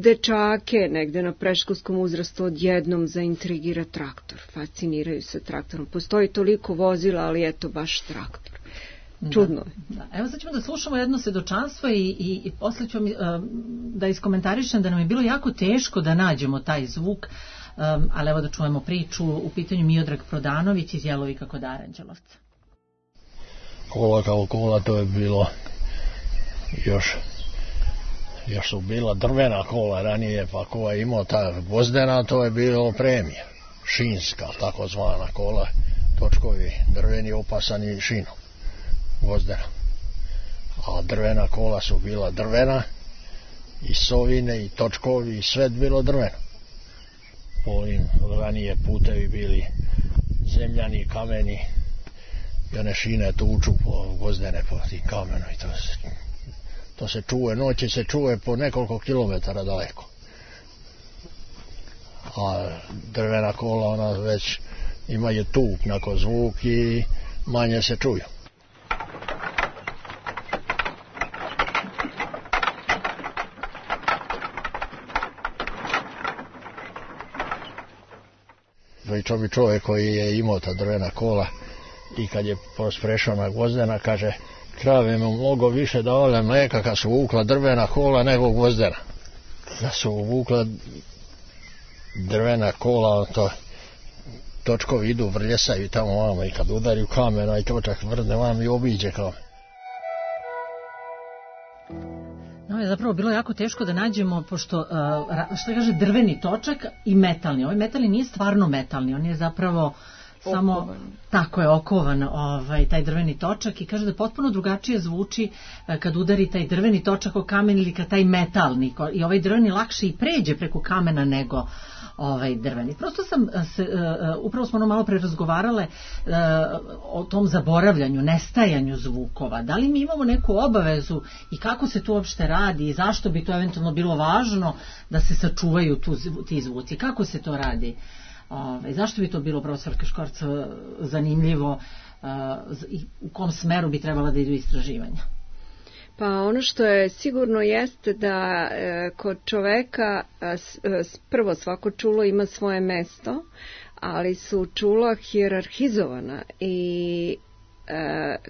dečake negde na predškolskom uzrastu odjednom zaintrigira traktor, fasciniraju se traktorom. Postoji toliko vozila, ali eto baš traktor. Čudno. Da. Evo sad ćemo da slušamo jedno svedočanstvo i posle ću da iskomentarišem da nam je bilo jako teško da nađemo taj zvuk, ali evo da čujemo priču. U pitanju Miodrag Prodanović iz Jelovika kod Aranđelovca. Kola kao kola, to je bilo još su bila drvena kola ranije, pa ko je imao ta gvozdena, to je bilo premija, šinska, takozvana kola, točkovi drveni opasani šinom, gvozdena. A drvena kola su bila drvena, i sovine, i točkovi, i sve bilo drveno. Ovim ranije putevi bili zemljani, kameni, i one šine tuču po gvozdene, po tim kamenu, i to se čuje, noći se čuje po nekoliko kilometara daleko. A drvena kola, ona već imaju tup nakon zvuk i manje se čuju. Pričao bi čovjek koji je imao ta drvena kola i kad je prešao na gvozdena, kaže, krave mu mnogo više davale mleka kad su vukla drvena kola nego gvozdena. Da su vukla drvena kola, to točkovi idu, vrljesaju tamo vamo i kad udariju kamena i točak vrne vam i obiđe kamen. No, je zapravo bilo jako teško da nađemo, pošto, što kaže, drveni točak i metalni. Ovaj metalni nije stvarno metalni, on je zapravo samo tako je okovan taj drveni točak i kaže da potpuno drugačije zvuči kad udari taj drveni točak o kamen ili kad taj metalni, i ovaj drveni lakše i pređe preko kamena nego drveni. Prosto upravo smo malo pre razgovarale o tom zaboravljanju, nestajanju zvukova. Da li mi imamo neku obavezu i kako se to uopšte radi i zašto bi to eventualno bilo važno da se sačuvaju ti zvuci? Kako se to radi? Zašto bi to bilo, profesor Gaškorc, zanimljivo i u kom smeru bi trebala da idu istraživanja? Pa ono što je sigurno jeste da kod čoveka prvo svako čulo ima svoje mesto, ali su čula hijerarhizovana i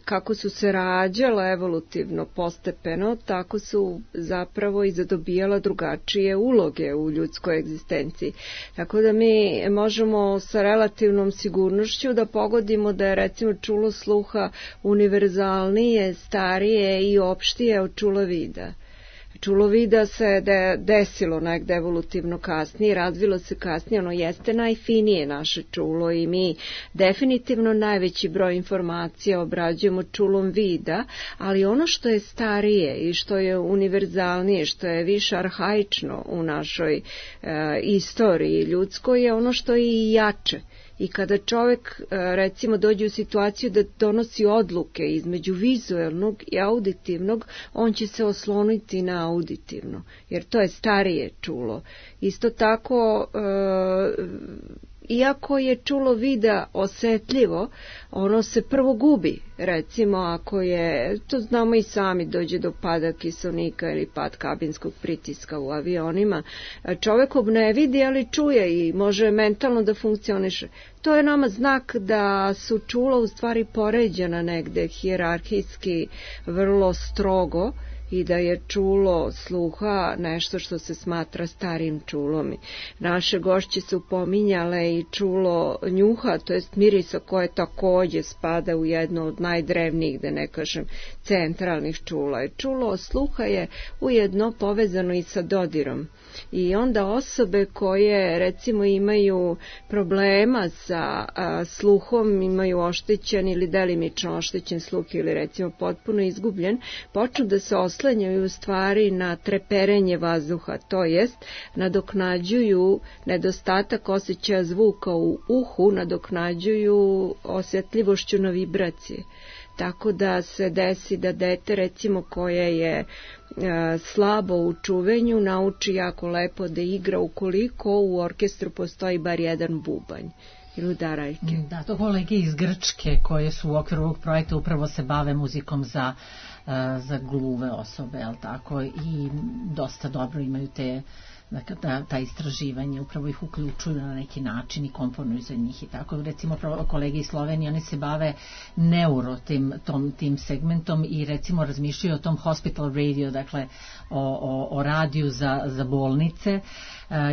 kako su se rađala evolutivno postepeno, tako su zapravo i zadobijala drugačije uloge u ljudskoj egzistenciji. Tako da mi možemo sa relativnom sigurnošću da pogodimo da je recimo čulo sluha univerzalnije, starije i opštije od čula vida. Čulo vida se desilo negde evolutivno kasnije, razvilo se kasnije, ono jeste najfinije naše čulo i mi definitivno najveći broj informacija obrađujemo čulom vida, ali ono što je starije i što je univerzalnije, što je više arhaično u našoj istoriji ljudskoj je ono što je i jače. I kada čovjek recimo dođe u situaciju da donosi odluke između vizuelnog i auditivnog, on će se osloniti na auditivno, jer to je starije čulo. Isto tako iako je čulo vida osetljivo, ono se prvo gubi. Recimo, ako je, to znamo i sami, dođe do pada kiselnika ili pad kabinskog pritiska u avionima, čovek ne vidi, ali čuje i može mentalno da funkcioniše. To je nama znak da su čula u stvari poređena negde hijerarhijski vrlo strogo i da je čulo sluha nešto što se smatra starim čulom. Naše gošće su pominjale i čulo njuha, to jest mirisa koje takođe spada u jedno od najdrevnijih, da ne kažem, centralnih čula. Čulo sluha je ujedno povezano i sa dodirom. I onda osobe koje recimo imaju problema sa sluhom, imaju oštećen ili delimično oštećen sluh ili recimo potpuno izgubljen, počnu da se oslanjaju u stvari na treperenje vazduha, to jest nadoknađuju nedostatak osjećaja zvuka u uhu, nadoknađuju osjetljivošću na vibracije. Tako da se desi da dete recimo koje je slabo u čuvenju nauči jako lepo da igra ukoliko u orkestru postoji bar jedan bubanj ili udarajke. Da, to kolege iz Grčke koje su u okviru ovog projekta upravo se bave muzikom za gluve osobe, jel tako, i dosta dobro imaju te ta istraživanje, upravo ih uključuju na neki način i komponuju za njih i tako. Recimo kolege iz Slovenije, oni se bave neuro tim segmentom i recimo razmišljaju o tom hospital radio, dakle o radiju za bolnice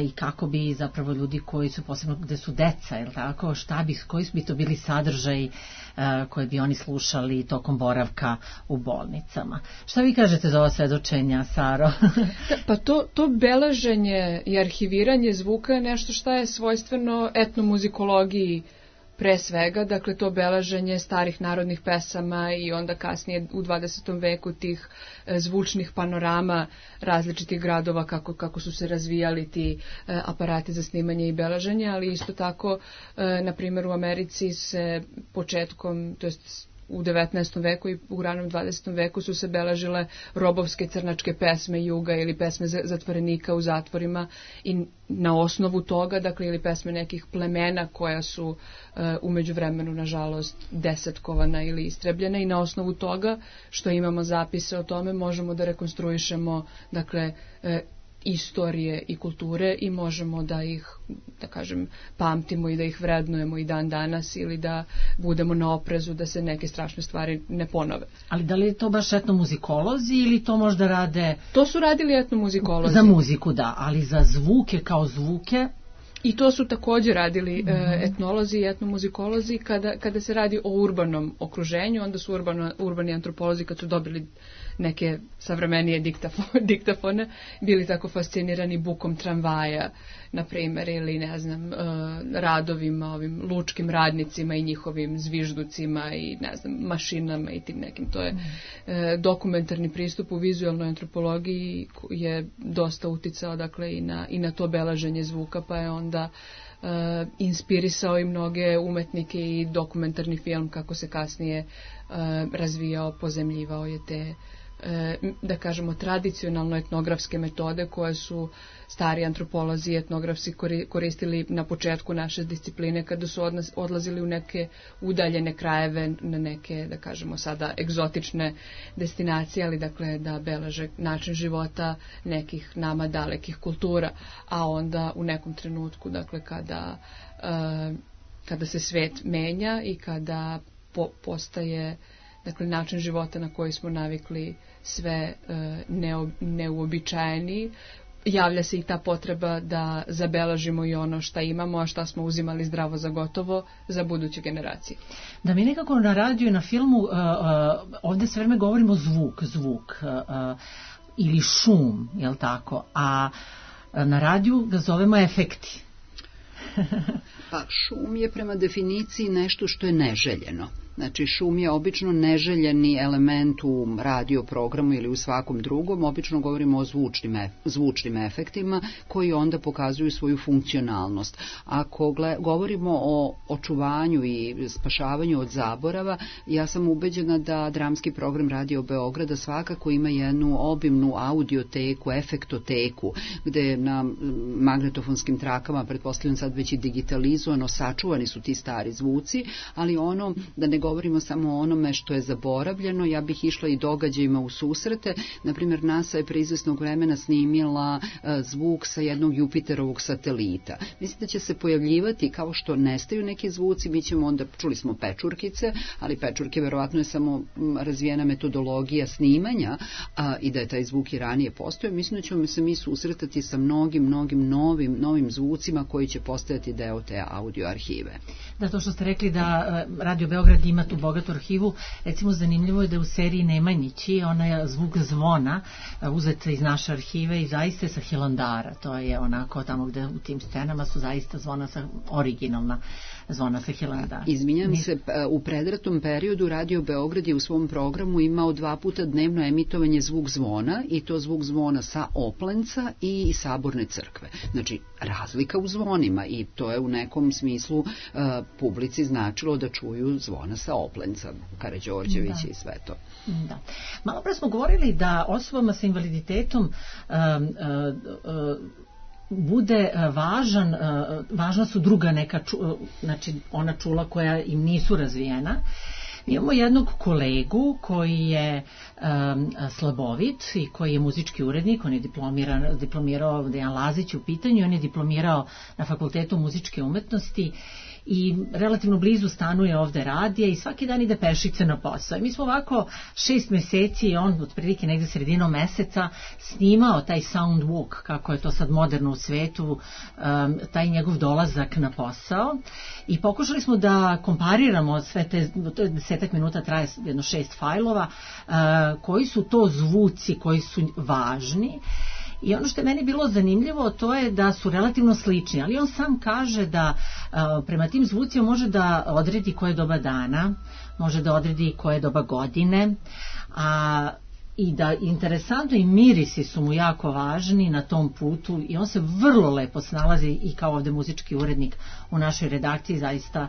i kako bi zapravo ljudi koji su posebno gde su deca, jel tako, koji bi to bili sadržaji koje bi oni slušali tokom boravka u bolnicama. Šta vi kažete za ova svedočenja, Saro? Pa to beleženje i arhiviranje zvuka je nešto što je svojstveno etnomuzikologiji pre svega, dakle to beleženje starih narodnih pesama i onda kasnije u 20. veku tih zvučnih panorama različitih gradova kako su se razvijali ti aparati za snimanje i beleženje, ali isto tako, na primjer u Americi se početkom, to jest u 19. veku i u ranom 20. veku su se beležile robovske crnačke pesme juga ili pesme zatvorenika u zatvorima i na osnovu toga, dakle, ili pesme nekih plemena koja su umeđu vremenu, nažalost, desetkovana ili istrebljena i na osnovu toga što imamo zapise o tome možemo da rekonstruišemo, dakle, istorije i kulture i možemo da ih, da kažem, pamtimo i da ih vrednujemo i dan danas ili da budemo na oprezu da se neke strašne stvari ne ponove. Ali da li je to baš etnomuzikolozi ili to možda rade... To su radili etnomuzikolozi. Za muziku, da, ali za zvuke kao zvuke... I to su također radili etnolozi i etnomuzikolozi kada se radi o urbanom okruženju, onda su urbani antropolozi kad su dobili neke savremenije diktafone, bili tako fascinirani bukom tramvaja, na primjer, ili ne znam, radovima, ovim lučkim radnicima i njihovim zvižducima i ne znam, mašinama i tim nekim. To je dokumentarni pristup u vizualnoj antropologiji je dosta uticao, dakle, i na to beleženje zvuka, pa je onda inspirisao i mnoge umetnike i dokumentarni film kako se kasnije razvijao, pozemljivao je te, da kažemo, tradicionalno etnografske metode koje su stari antropolozi i etnografsi koristili na početku naše discipline kada su odlazili u neke udaljene krajeve, na neke, da kažemo sada, egzotične destinacije, ali dakle da beleže način života nekih nama dalekih kultura, a onda u nekom trenutku, dakle kada se svet menja i kada postaje, dakle, način života na koji smo navikli sve neuobičajeni, javlja se i ta potreba da zabeležimo i ono šta imamo, a šta smo uzimali zdravo za gotovo za buduće generacije. Da, mi nekako na radiju i na filmu ovdje sve vreme govorimo zvuk ili šum, jel tako, a na radiju ga zovemo efekti. Pa šum je prema definiciji nešto što je neželjeno. Znači, šum je obično neželjeni element u radio programu ili u svakom drugom. Obično govorimo o zvučnim efektima koji onda pokazuju svoju funkcionalnost. Ako govorimo o očuvanju i spašavanju od zaborava, ja sam ubeđena da dramski program Radio Beograda svakako ima jednu obimnu audioteku, efektoteku, gde na magnetofonskim trakama, pretpostavljam sad već i digitalizovano, sačuvani su ti stari zvuci, ali ono, da ne govorimo samo o onome što je zaboravljeno, ja bih išla i događajima u susrete. Naprimjer, NASA je pre izvesnog vremena snimila zvuk sa jednog Jupiterovog satelita. Mislim da će se pojavljivati, kao što nestaju neki zvuci, mi ćemo onda, čuli smo pečurkice, ali pečurke verovatno je samo razvijena metodologija snimanja i da je taj zvuk i ranije postojao. Mislim da ćemo se mi susretati sa mnogim novim zvucima koji će postajati deo te audio arhive. Da, to što ste rekli da Radio Beograd ima tu bogatu arhivu, recimo zanimljivo je da u seriji Nemanjići onaj zvuk zvona uzet iz naše arhive i zaista sa Hilandara. To je onako tamo gde u tim scenama su zaista zvona originalna zvona sa Hilandara. Izvinjam se, u predratom periodu Radio Beograd je u svom programu imao 2 puta dnevno emitovanje zvuk zvona, i to zvuk zvona sa Oplenca i Saborne crkve. Znači, razlika u zvonima, i to je u nekom smislu publici značilo da čuju zvona sa Oplenca, Karađorđević i sve to. Da. Malo pre smo govorili da osobama sa invaliditetom bude važna su druga neka znači ona čula koja im nisu razvijena. Imamo jednog kolegu koji je slabovit i koji je muzički urednik, on je diplomirao, Dejan Lazić u pitanju, on je diplomirao na Fakultetu muzičke umetnosti i relativno blizu stanuje ovde radija i svaki dan ide pešice na posao. I mi smo ovako 6 meseci i on otprilike negde sredinom meseca snimao taj sound walk, kako je to sad moderno u svetu, taj njegov dolazak na posao, i pokušali smo da kompariramo sve te, to je 10 minuta, traje jedno 6 fajlova, koji su to zvuci koji su važni. I ono što je meni bilo zanimljivo, to je da su relativno slični, ali on sam kaže da prema tim zvucima može da odredi koje doba dana, može da odredi koje doba godine, i da interesantno i mirisi su mu jako važni na tom putu i on se vrlo lepo snalazi i kao ovde muzički urednik u našoj redakciji, zaista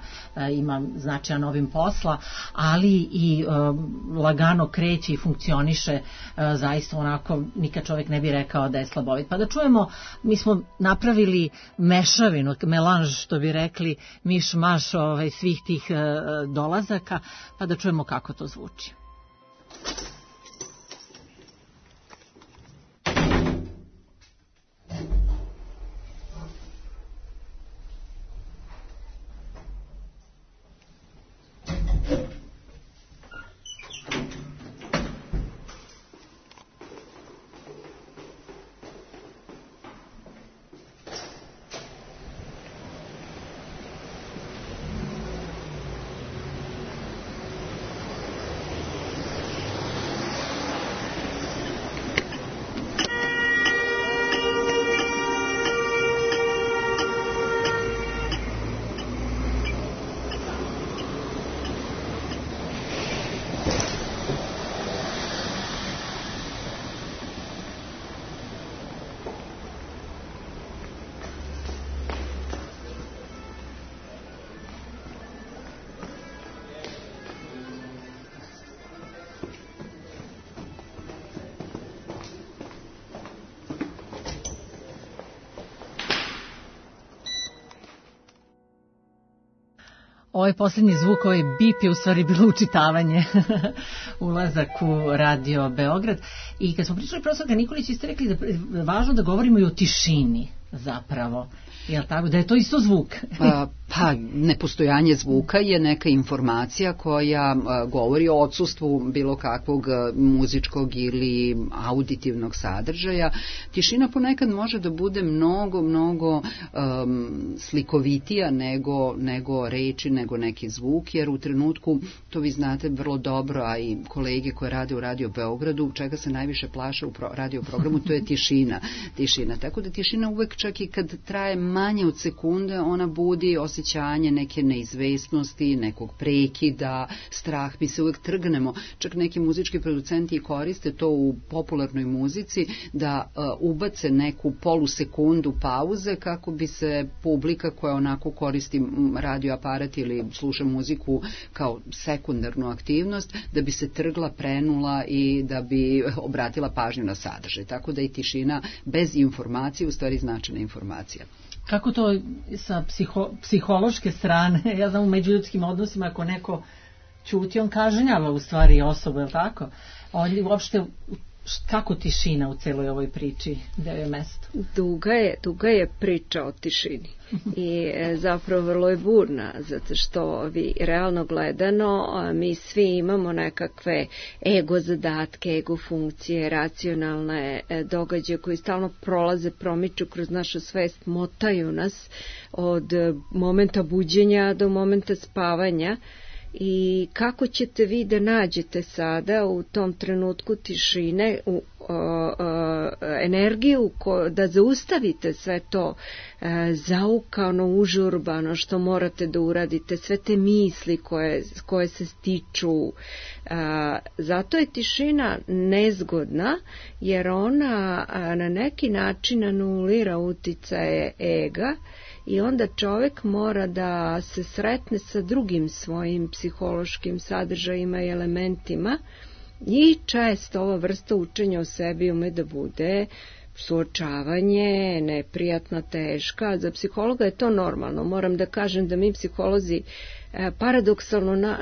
ima značajan obim posla, ali i lagano kreće i funkcioniše zaista onako, nikad čovjek ne bi rekao da je slabovit. Pa da čujemo, mi smo napravili mešavinu, melanž što bi rekli, miš-maš svih tih dolazaka, pa da čujemo kako to zvuči. Ovaj posljednji zvuk, ovaj bip je u stvari bilo učitavanje, ulazak u Radio Beograd. I kad smo pričali profesorka Nikolić, vi ste rekli da je važno da govorimo i o tišini zapravo. Jel tako? Da je to isto zvuk? Pa, nepostojanje zvuka je neka informacija koja govori o odsustvu bilo kakvog muzičkog ili auditivnog sadržaja. Tišina ponekad može da bude mnogo slikovitija nego reči, nego neki zvuk, jer u trenutku, to vi znate vrlo dobro, a i kolege koje rade u Radio Beogradu, čega se najviše plaše u radio programu, to je tišina. Tako da tišina uvek, čak i kad traje manje od sekunde, ona budi osjećaj osjećanje neke neizvesnosti, nekog prekida, strah, mi se uvek trgnemo. Čak neki muzički producenti koriste to u popularnoj muzici da ubace neku polusekundu pauze kako bi se publika koja onako koristi radioaparat ili sluša muziku kao sekundarnu aktivnost, da bi se trgla, prenula i da bi obratila pažnju na sadržaj. Tako da i tišina bez informacije u stvari značajna informacija. Kako to sa psihološke strane, ja znam u međuljudskim odnosima ako neko ćuti, on kažnjava u stvari osobu, je li tako? Uopšte, kako tišina u celoj ovoj priči, gde je mesto? Duga je priča o tišini i zapravo vrlo je burna, zato što vi realno gledano mi svi imamo nekakve ego zadatke, ego funkcije, racionalne događaje koji stalno prolaze, promiču kroz našu svest, motaju nas od momenta buđenja do momenta spavanja. I kako ćete vi da nađete sada u tom trenutku tišine energiju da zaustavite sve to zaukano, užurbano što morate da uradite, sve te misli koje se stiču. Zato je tišina nezgodna, jer ona na neki način anulira uticaje ega i onda čovjek mora da se sretne sa drugim svojim psihološkim sadržajima i elementima i često ova vrsta učenja o sebi ume da bude suočavanje, neprijatna, teška. Za psihologa je to normalno. Moram da kažem da mi psiholozi paradoksalno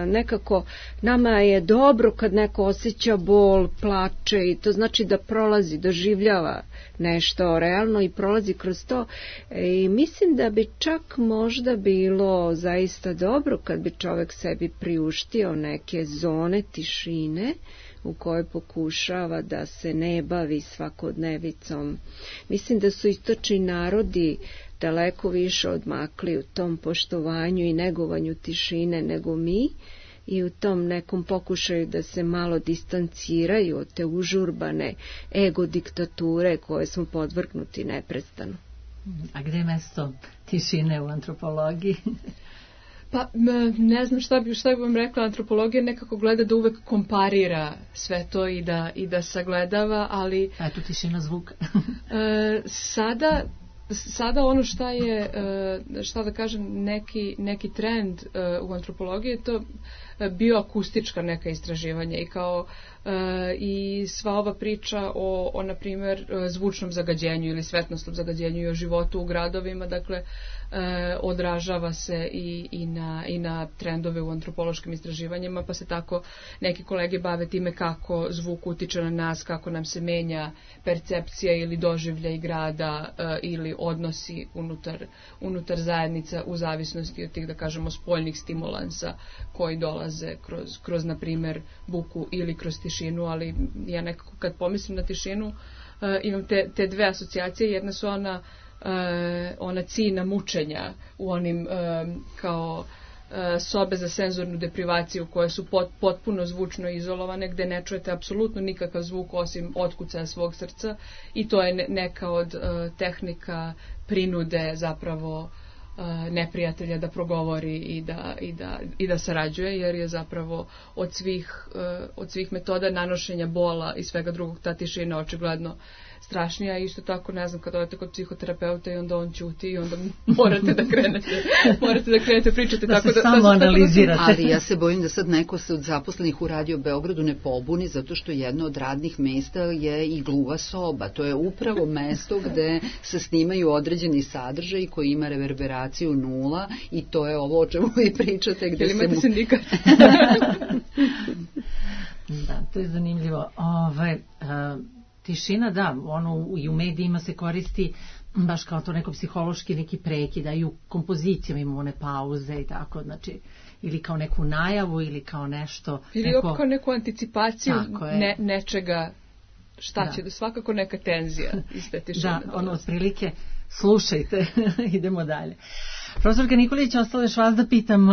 nekako nama je dobro kad neko osjeća bol, plače i to znači da prolazi, doživljava nešto realno i prolazi kroz to i mislim da bi čak možda bilo zaista dobro kad bi čovjek sebi priuštio neke zone tišine u kojoj pokušava da se ne bavi svakodnevicom. Mislim da su istočni narodi daleko više odmakli u tom poštovanju i negovanju tišine nego mi i u tom nekom pokušaju da se malo distanciraju od te užurbane ego diktature koje smo podvrgnuti neprestano. A gde je mesto tišine u antropologiji? Pa ne znam šta bi vam rekla, antropologija nekako gleda da uvek komparira sve to i da sagledava, ali... A je tu tišina zvuka? Sada ono šta da kažem, neki trend u antropologiji je to bioakustička neka istraživanja i kao i sva ova priča o na primjer zvučnom zagađenju ili svetlosnom zagađenju i o životu u gradovima, dakle odražava se i na trendove u antropološkim istraživanjima, pa se tako neki kolege bave time kako zvuk utiče na nas, kako nam se menja percepcija ili doživljaj grada ili odnosi unutar zajednica u zavisnosti od tih, da kažemo, spoljnih stimulansa koji dolaze kroz na primjer buku ili kroz tišinu, ali ja nekako kad pomislim na tišinu imam te dve asocijacije. Jedna su ona cina mučenja u onim kao sobe za senzornu deprivaciju koje su potpuno zvučno izolovane, gde ne čujete apsolutno nikakav zvuk osim otkucaja svog srca i to je neka od tehnika prinude zapravo neprijatelja da progovori i da sarađuje, jer je zapravo od svih metoda nanošenja bola i svega drugog ta tišina očigledno strašnija. Isto tako, ne znam, kad odete kod psihoterapeuta i onda on ćuti i onda morate da krenete pričate da tako se samo analizirate. Ali ja se bojim da sad neko se od zaposlenih u Radio Beogradu ne pobuni, zato što jedno od radnih mesta je i gluva soba. To je upravo mesto gde se snimaju određeni sadržaj koji ima reverberaciju 0 i to je ovo o čemu vi pričate. Gde ili imate sindikat? Da, to je zanimljivo. Tišina, da, ono i u medijima se koristi baš kao to neko psihološki neki prekid, a i u kompozicijama imamo one pauze i tako, znači, ili kao neku najavu ili kao nešto. Ili kao neku anticipaciju nečega šta će, da svakako neka tenzija iz te tišine. Da, otprilike, slušajte, idemo dalje. Profesorka Nikolić, ostalo još vas da pitam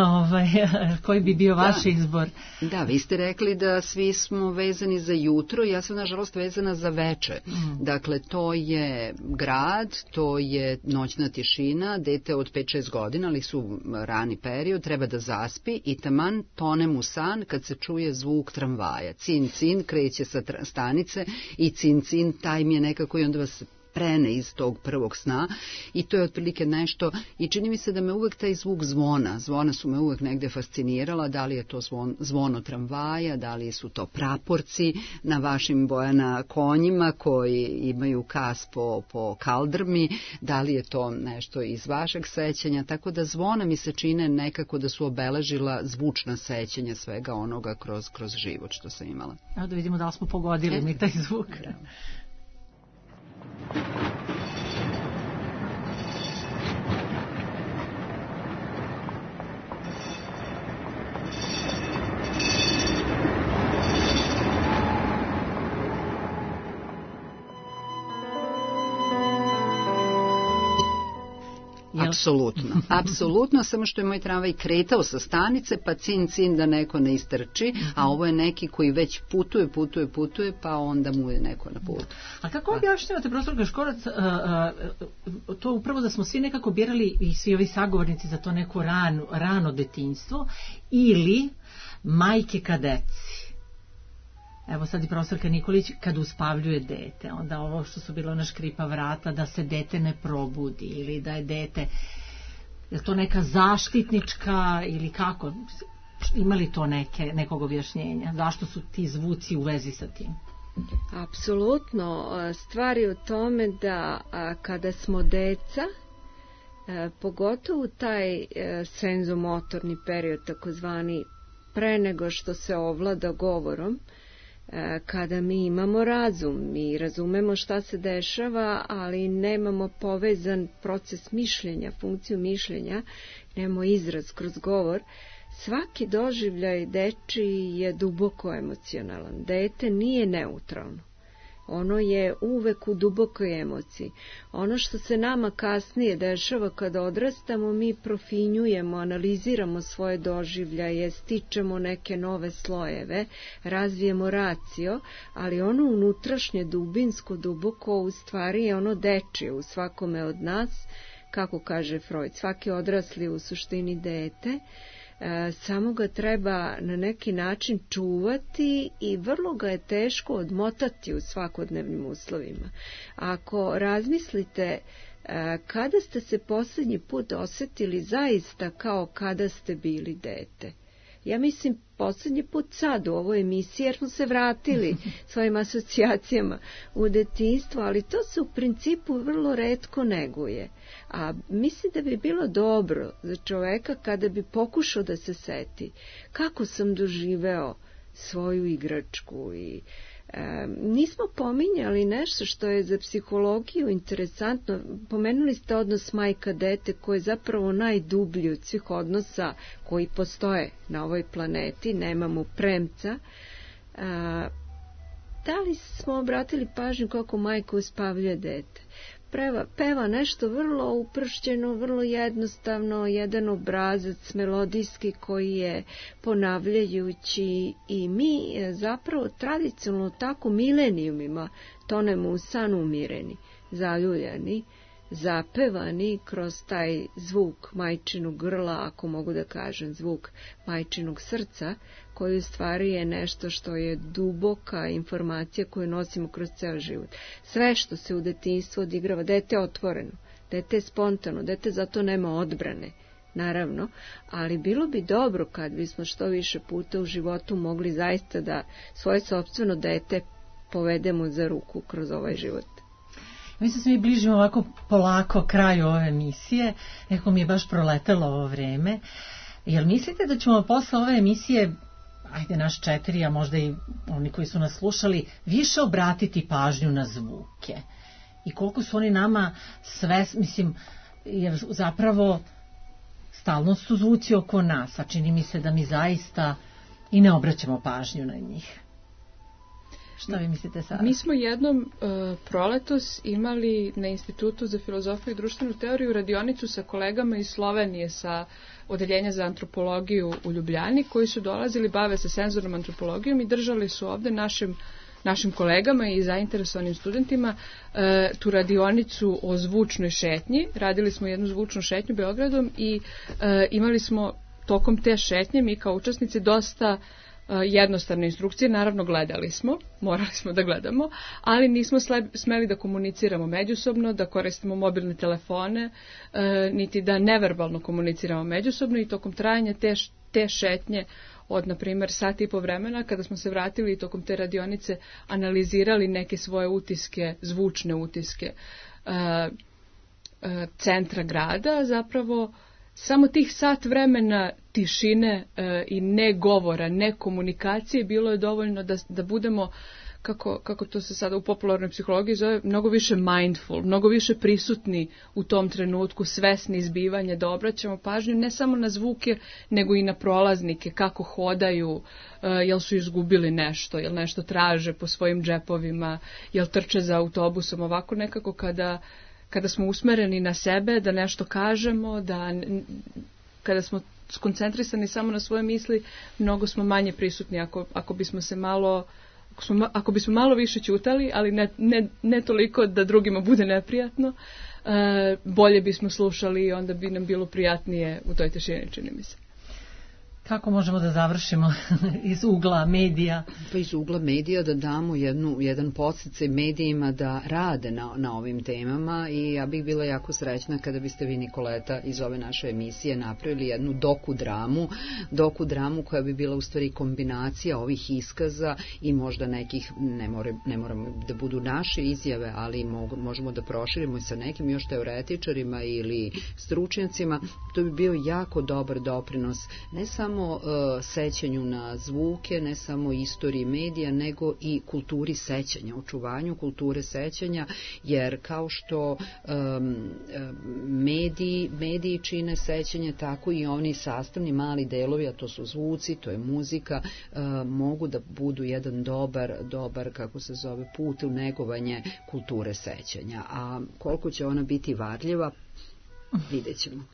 koji bi bio vaš izbor. Da, vi ste rekli da svi smo vezani za jutro, ja sam nažalost vezana za veče. Dakle, to je grad, to je noćna tišina, dete od 5-6 godina, ali su rani period, treba da zaspi i taman tonem u san kad se čuje zvuk tramvaja. Cin, cin, kreće sa stanice i cin, cin, taj mi je nekako i onda vas prene iz tog prvog sna i to je otprilike nešto i čini mi se da me uvek taj zvuk zvona su me uvek negde fascinirala, da li je to zvono tramvaja, da li su to praporci na vašim Bojana konjima koji imaju kas po kaldrmi, da li je to nešto iz vašeg sećanja, tako da zvona mi se čine nekako da su obeležila zvučna sećanja svega onoga kroz život što sam imala. Evo da vidimo da li smo pogodili mi taj zvuk. Apsolutno, samo što je moj tramvaj kretao sa stanice, pa cin da neko ne istrči, a ovo je neki koji već putuje, pa onda mu je neko na putu. A kako objašnjavate, profesorka Škorac, to upravo da smo svi nekako birali i svi ovi sagovornici za to neko rano detinjstvo ili majke ka deci? Evo sad i profesorka Nikolić kad uspavljuje dete, onda ovo što su bilo na škripa vrata, da se dete ne probudi ili da je dete, je to neka zaštitnička ili kako? Ima li to nekog objašnjenja? Zašto su ti zvuci u vezi sa tim? Apsolutno. Stvar je u tome da kada smo deca, pogotovo taj senzomotorni period, takozvani pre nego što se ovlada govorom, kada mi imamo razum, mi razumemo šta se dešava, ali nemamo povezan proces mišljenja, funkciju mišljenja, nemamo izraz kroz govor, svaki doživljaj dečiji je duboko emocionalan. Dete nije neutralno. Ono je uvek u dubokoj emociji. Ono što se nama kasnije dešava kada odrastamo, mi profinjujemo, analiziramo svoje doživljaje, stičemo neke nove slojeve, razvijemo racio, ali ono unutrašnje, dubinsko, duboko, u stvari je ono dečije u svakome od nas, kako kaže Freud, svaki odrasli u suštini dete, samo ga treba na neki način čuvati i vrlo ga je teško odmotati u svakodnevnim uslovima. Ako razmislite kada ste se posljednji put osjetili zaista kao kada ste bili dete, ja mislim posljednji put sad u ovoj emisiji jer smo se vratili svojim asocijacijama u detinjstvo, ali to se u principu vrlo retko neguje. A mislim da bi bilo dobro za čoveka kada bi pokušao da se seti kako sam doživeo svoju igračku i nismo pominjali nešto što je za psihologiju interesantno. Pomenuli ste odnos majka-dete koji je zapravo najdublji od svih odnosa koji postoje na ovoj planeti, nemamo premca. Da li smo obratili pažnju kako majka uspavljuje dete? Peva nešto vrlo upršćeno, vrlo jednostavno, jedan obrazac melodijski koji je ponavljajući i mi zapravo tradicionalno tako milenijumima tonemo u san umireni, zaljuljani, zapevani kroz taj zvuk majčinog grla, ako mogu da kažem, zvuk majčinog srca, koji u stvari je nešto što je duboka informacija koju nosimo kroz ceo život. Sve što se u detinjstvu odigrava, dete je otvoreno, dete je spontano, dete zato nema odbrane, naravno, ali bilo bi dobro kad bismo što više puta u životu mogli zaista da svoje sopstveno dete povedemo za ruku kroz ovaj život. Mislim se mi bližimo ovako polako kraju ove emisije, neko mi je baš proletelo ovo vreme. Jel mislite da ćemo posle ove emisije, ajde naš 4, a možda i oni koji su nas slušali, više obratiti pažnju na zvuke? I koliko su oni nama sve, mislim, jer zapravo stalno su zvuci oko nas, a čini mi se da mi zaista i ne obraćamo pažnju na njih. Šta vi mislite, Sara? Mi smo jednom proletos imali na Institutu za filozofiju i društvenu teoriju radionicu sa kolegama iz Slovenije sa odeljenja za antropologiju u Ljubljani, koji su dolazili, bave se senzornom antropologijom i držali su ovde našim kolegama i zainteresovanim studentima tu radionicu o zvučnoj šetnji. Radili smo jednu zvučnu šetnju Beogradom i imali smo tokom te šetnje mi kao učesnici dosta jednostavne instrukcije, naravno gledali smo, morali smo da gledamo, ali nismo smeli da komuniciramo međusobno, da koristimo mobilne telefone, niti da neverbalno komuniciramo međusobno i tokom trajanja te šetnje od, na primjer, sat i po vremena, kada smo se vratili i tokom te radionice analizirali neke svoje utiske, zvučne utiske centra grada, zapravo samo tih sat vremena tišine i ne govora, ne komunikacije bilo je dovoljno da budemo, kako to se sada u popularnoj psihologiji zove, mnogo više mindful, mnogo više prisutni u tom trenutku, svesni izbivanja, da obraćamo pažnju ne samo na zvuke, nego i na prolaznike, kako hodaju, jel su izgubili nešto, jel nešto traže po svojim džepovima, jel trče za autobusom, ovako nekako kada smo usmereni na sebe, da nešto kažemo, kada smo skoncentrisani samo na svoje misli, mnogo smo manje prisutni ako bismo malo više ćutali, ali ne toliko da drugima bude neprijatno, bolje bismo slušali i onda bi nam bilo prijatnije u toj tišini, čini mi se. Kako možemo da završimo iz ugla medija? Pa iz ugla medija da damo jedan podsticaj medijima da rade na ovim temama i ja bih bila jako srećna kada biste vi, Nikoleta, iz ove naše emisije napravili jednu dokudramu koja bi bila u stvari kombinacija ovih iskaza i možda nekih, ne moramo da budu naše izjave, ali možemo da proširimo i sa nekim još teoretičarima ili stručnjacima. To bi bio jako dobar doprinos, ne samo sećanju na zvuke, ne samo istoriji medija, nego i kulturi sećanja, očuvanju kulture sećanja, jer kao što mediji čine sećanje, tako i oni sastavni mali delovi, a to su zvuci, to je muzika, mogu da budu jedan dobar, kako se zove, put u negovanje kulture sećanja. A koliko će ona biti varljiva, vidjet ćemo.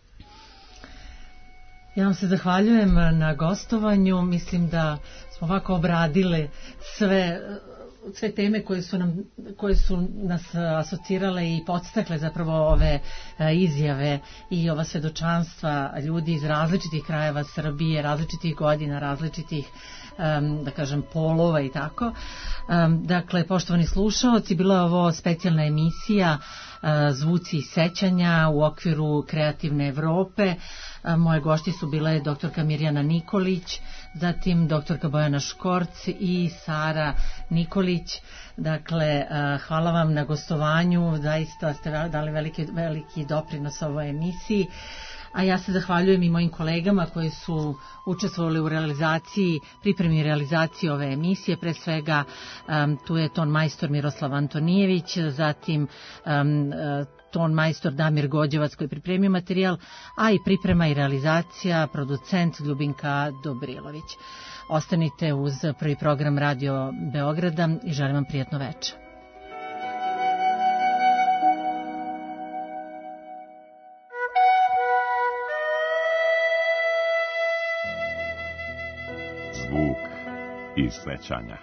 Ja vam se zahvaljujem na gostovanju. Mislim da smo ovako obradile sve teme koje su nas asocirale i podstakle zapravo ove izjave i ova svedočanstva ljudi iz različitih krajeva Srbije, različitih godina, različitih, da kažem, polova i tako. Dakle, poštovani slušaoci, bila je ovo specijalna emisija Zvuci sećanja u okviru Kreativne Evrope. Moje gošti su bile doktorka Mirjana Nikolić, zatim doktorka Bojana Škorc i Sara Nikolić. Dakle, hvala vam na gostovanju, zaista ste dali veliki doprinos ovoj emisiji. A ja se zahvaljujem i mojim kolegama koji su učestvovali u pripremi realizaciji ove emisije. Pre svega tu je ton majstor Miroslav Antonijević, zatim ton majstor Damir Gođevac koji pripremio materijal, a i priprema i realizacija producent Ljubinka Dobrilović. Ostanite uz prvi program Radio Beograda i želim vam prijatno večer. Zvuk i sećanja.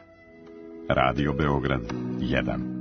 Radio Beograd 1.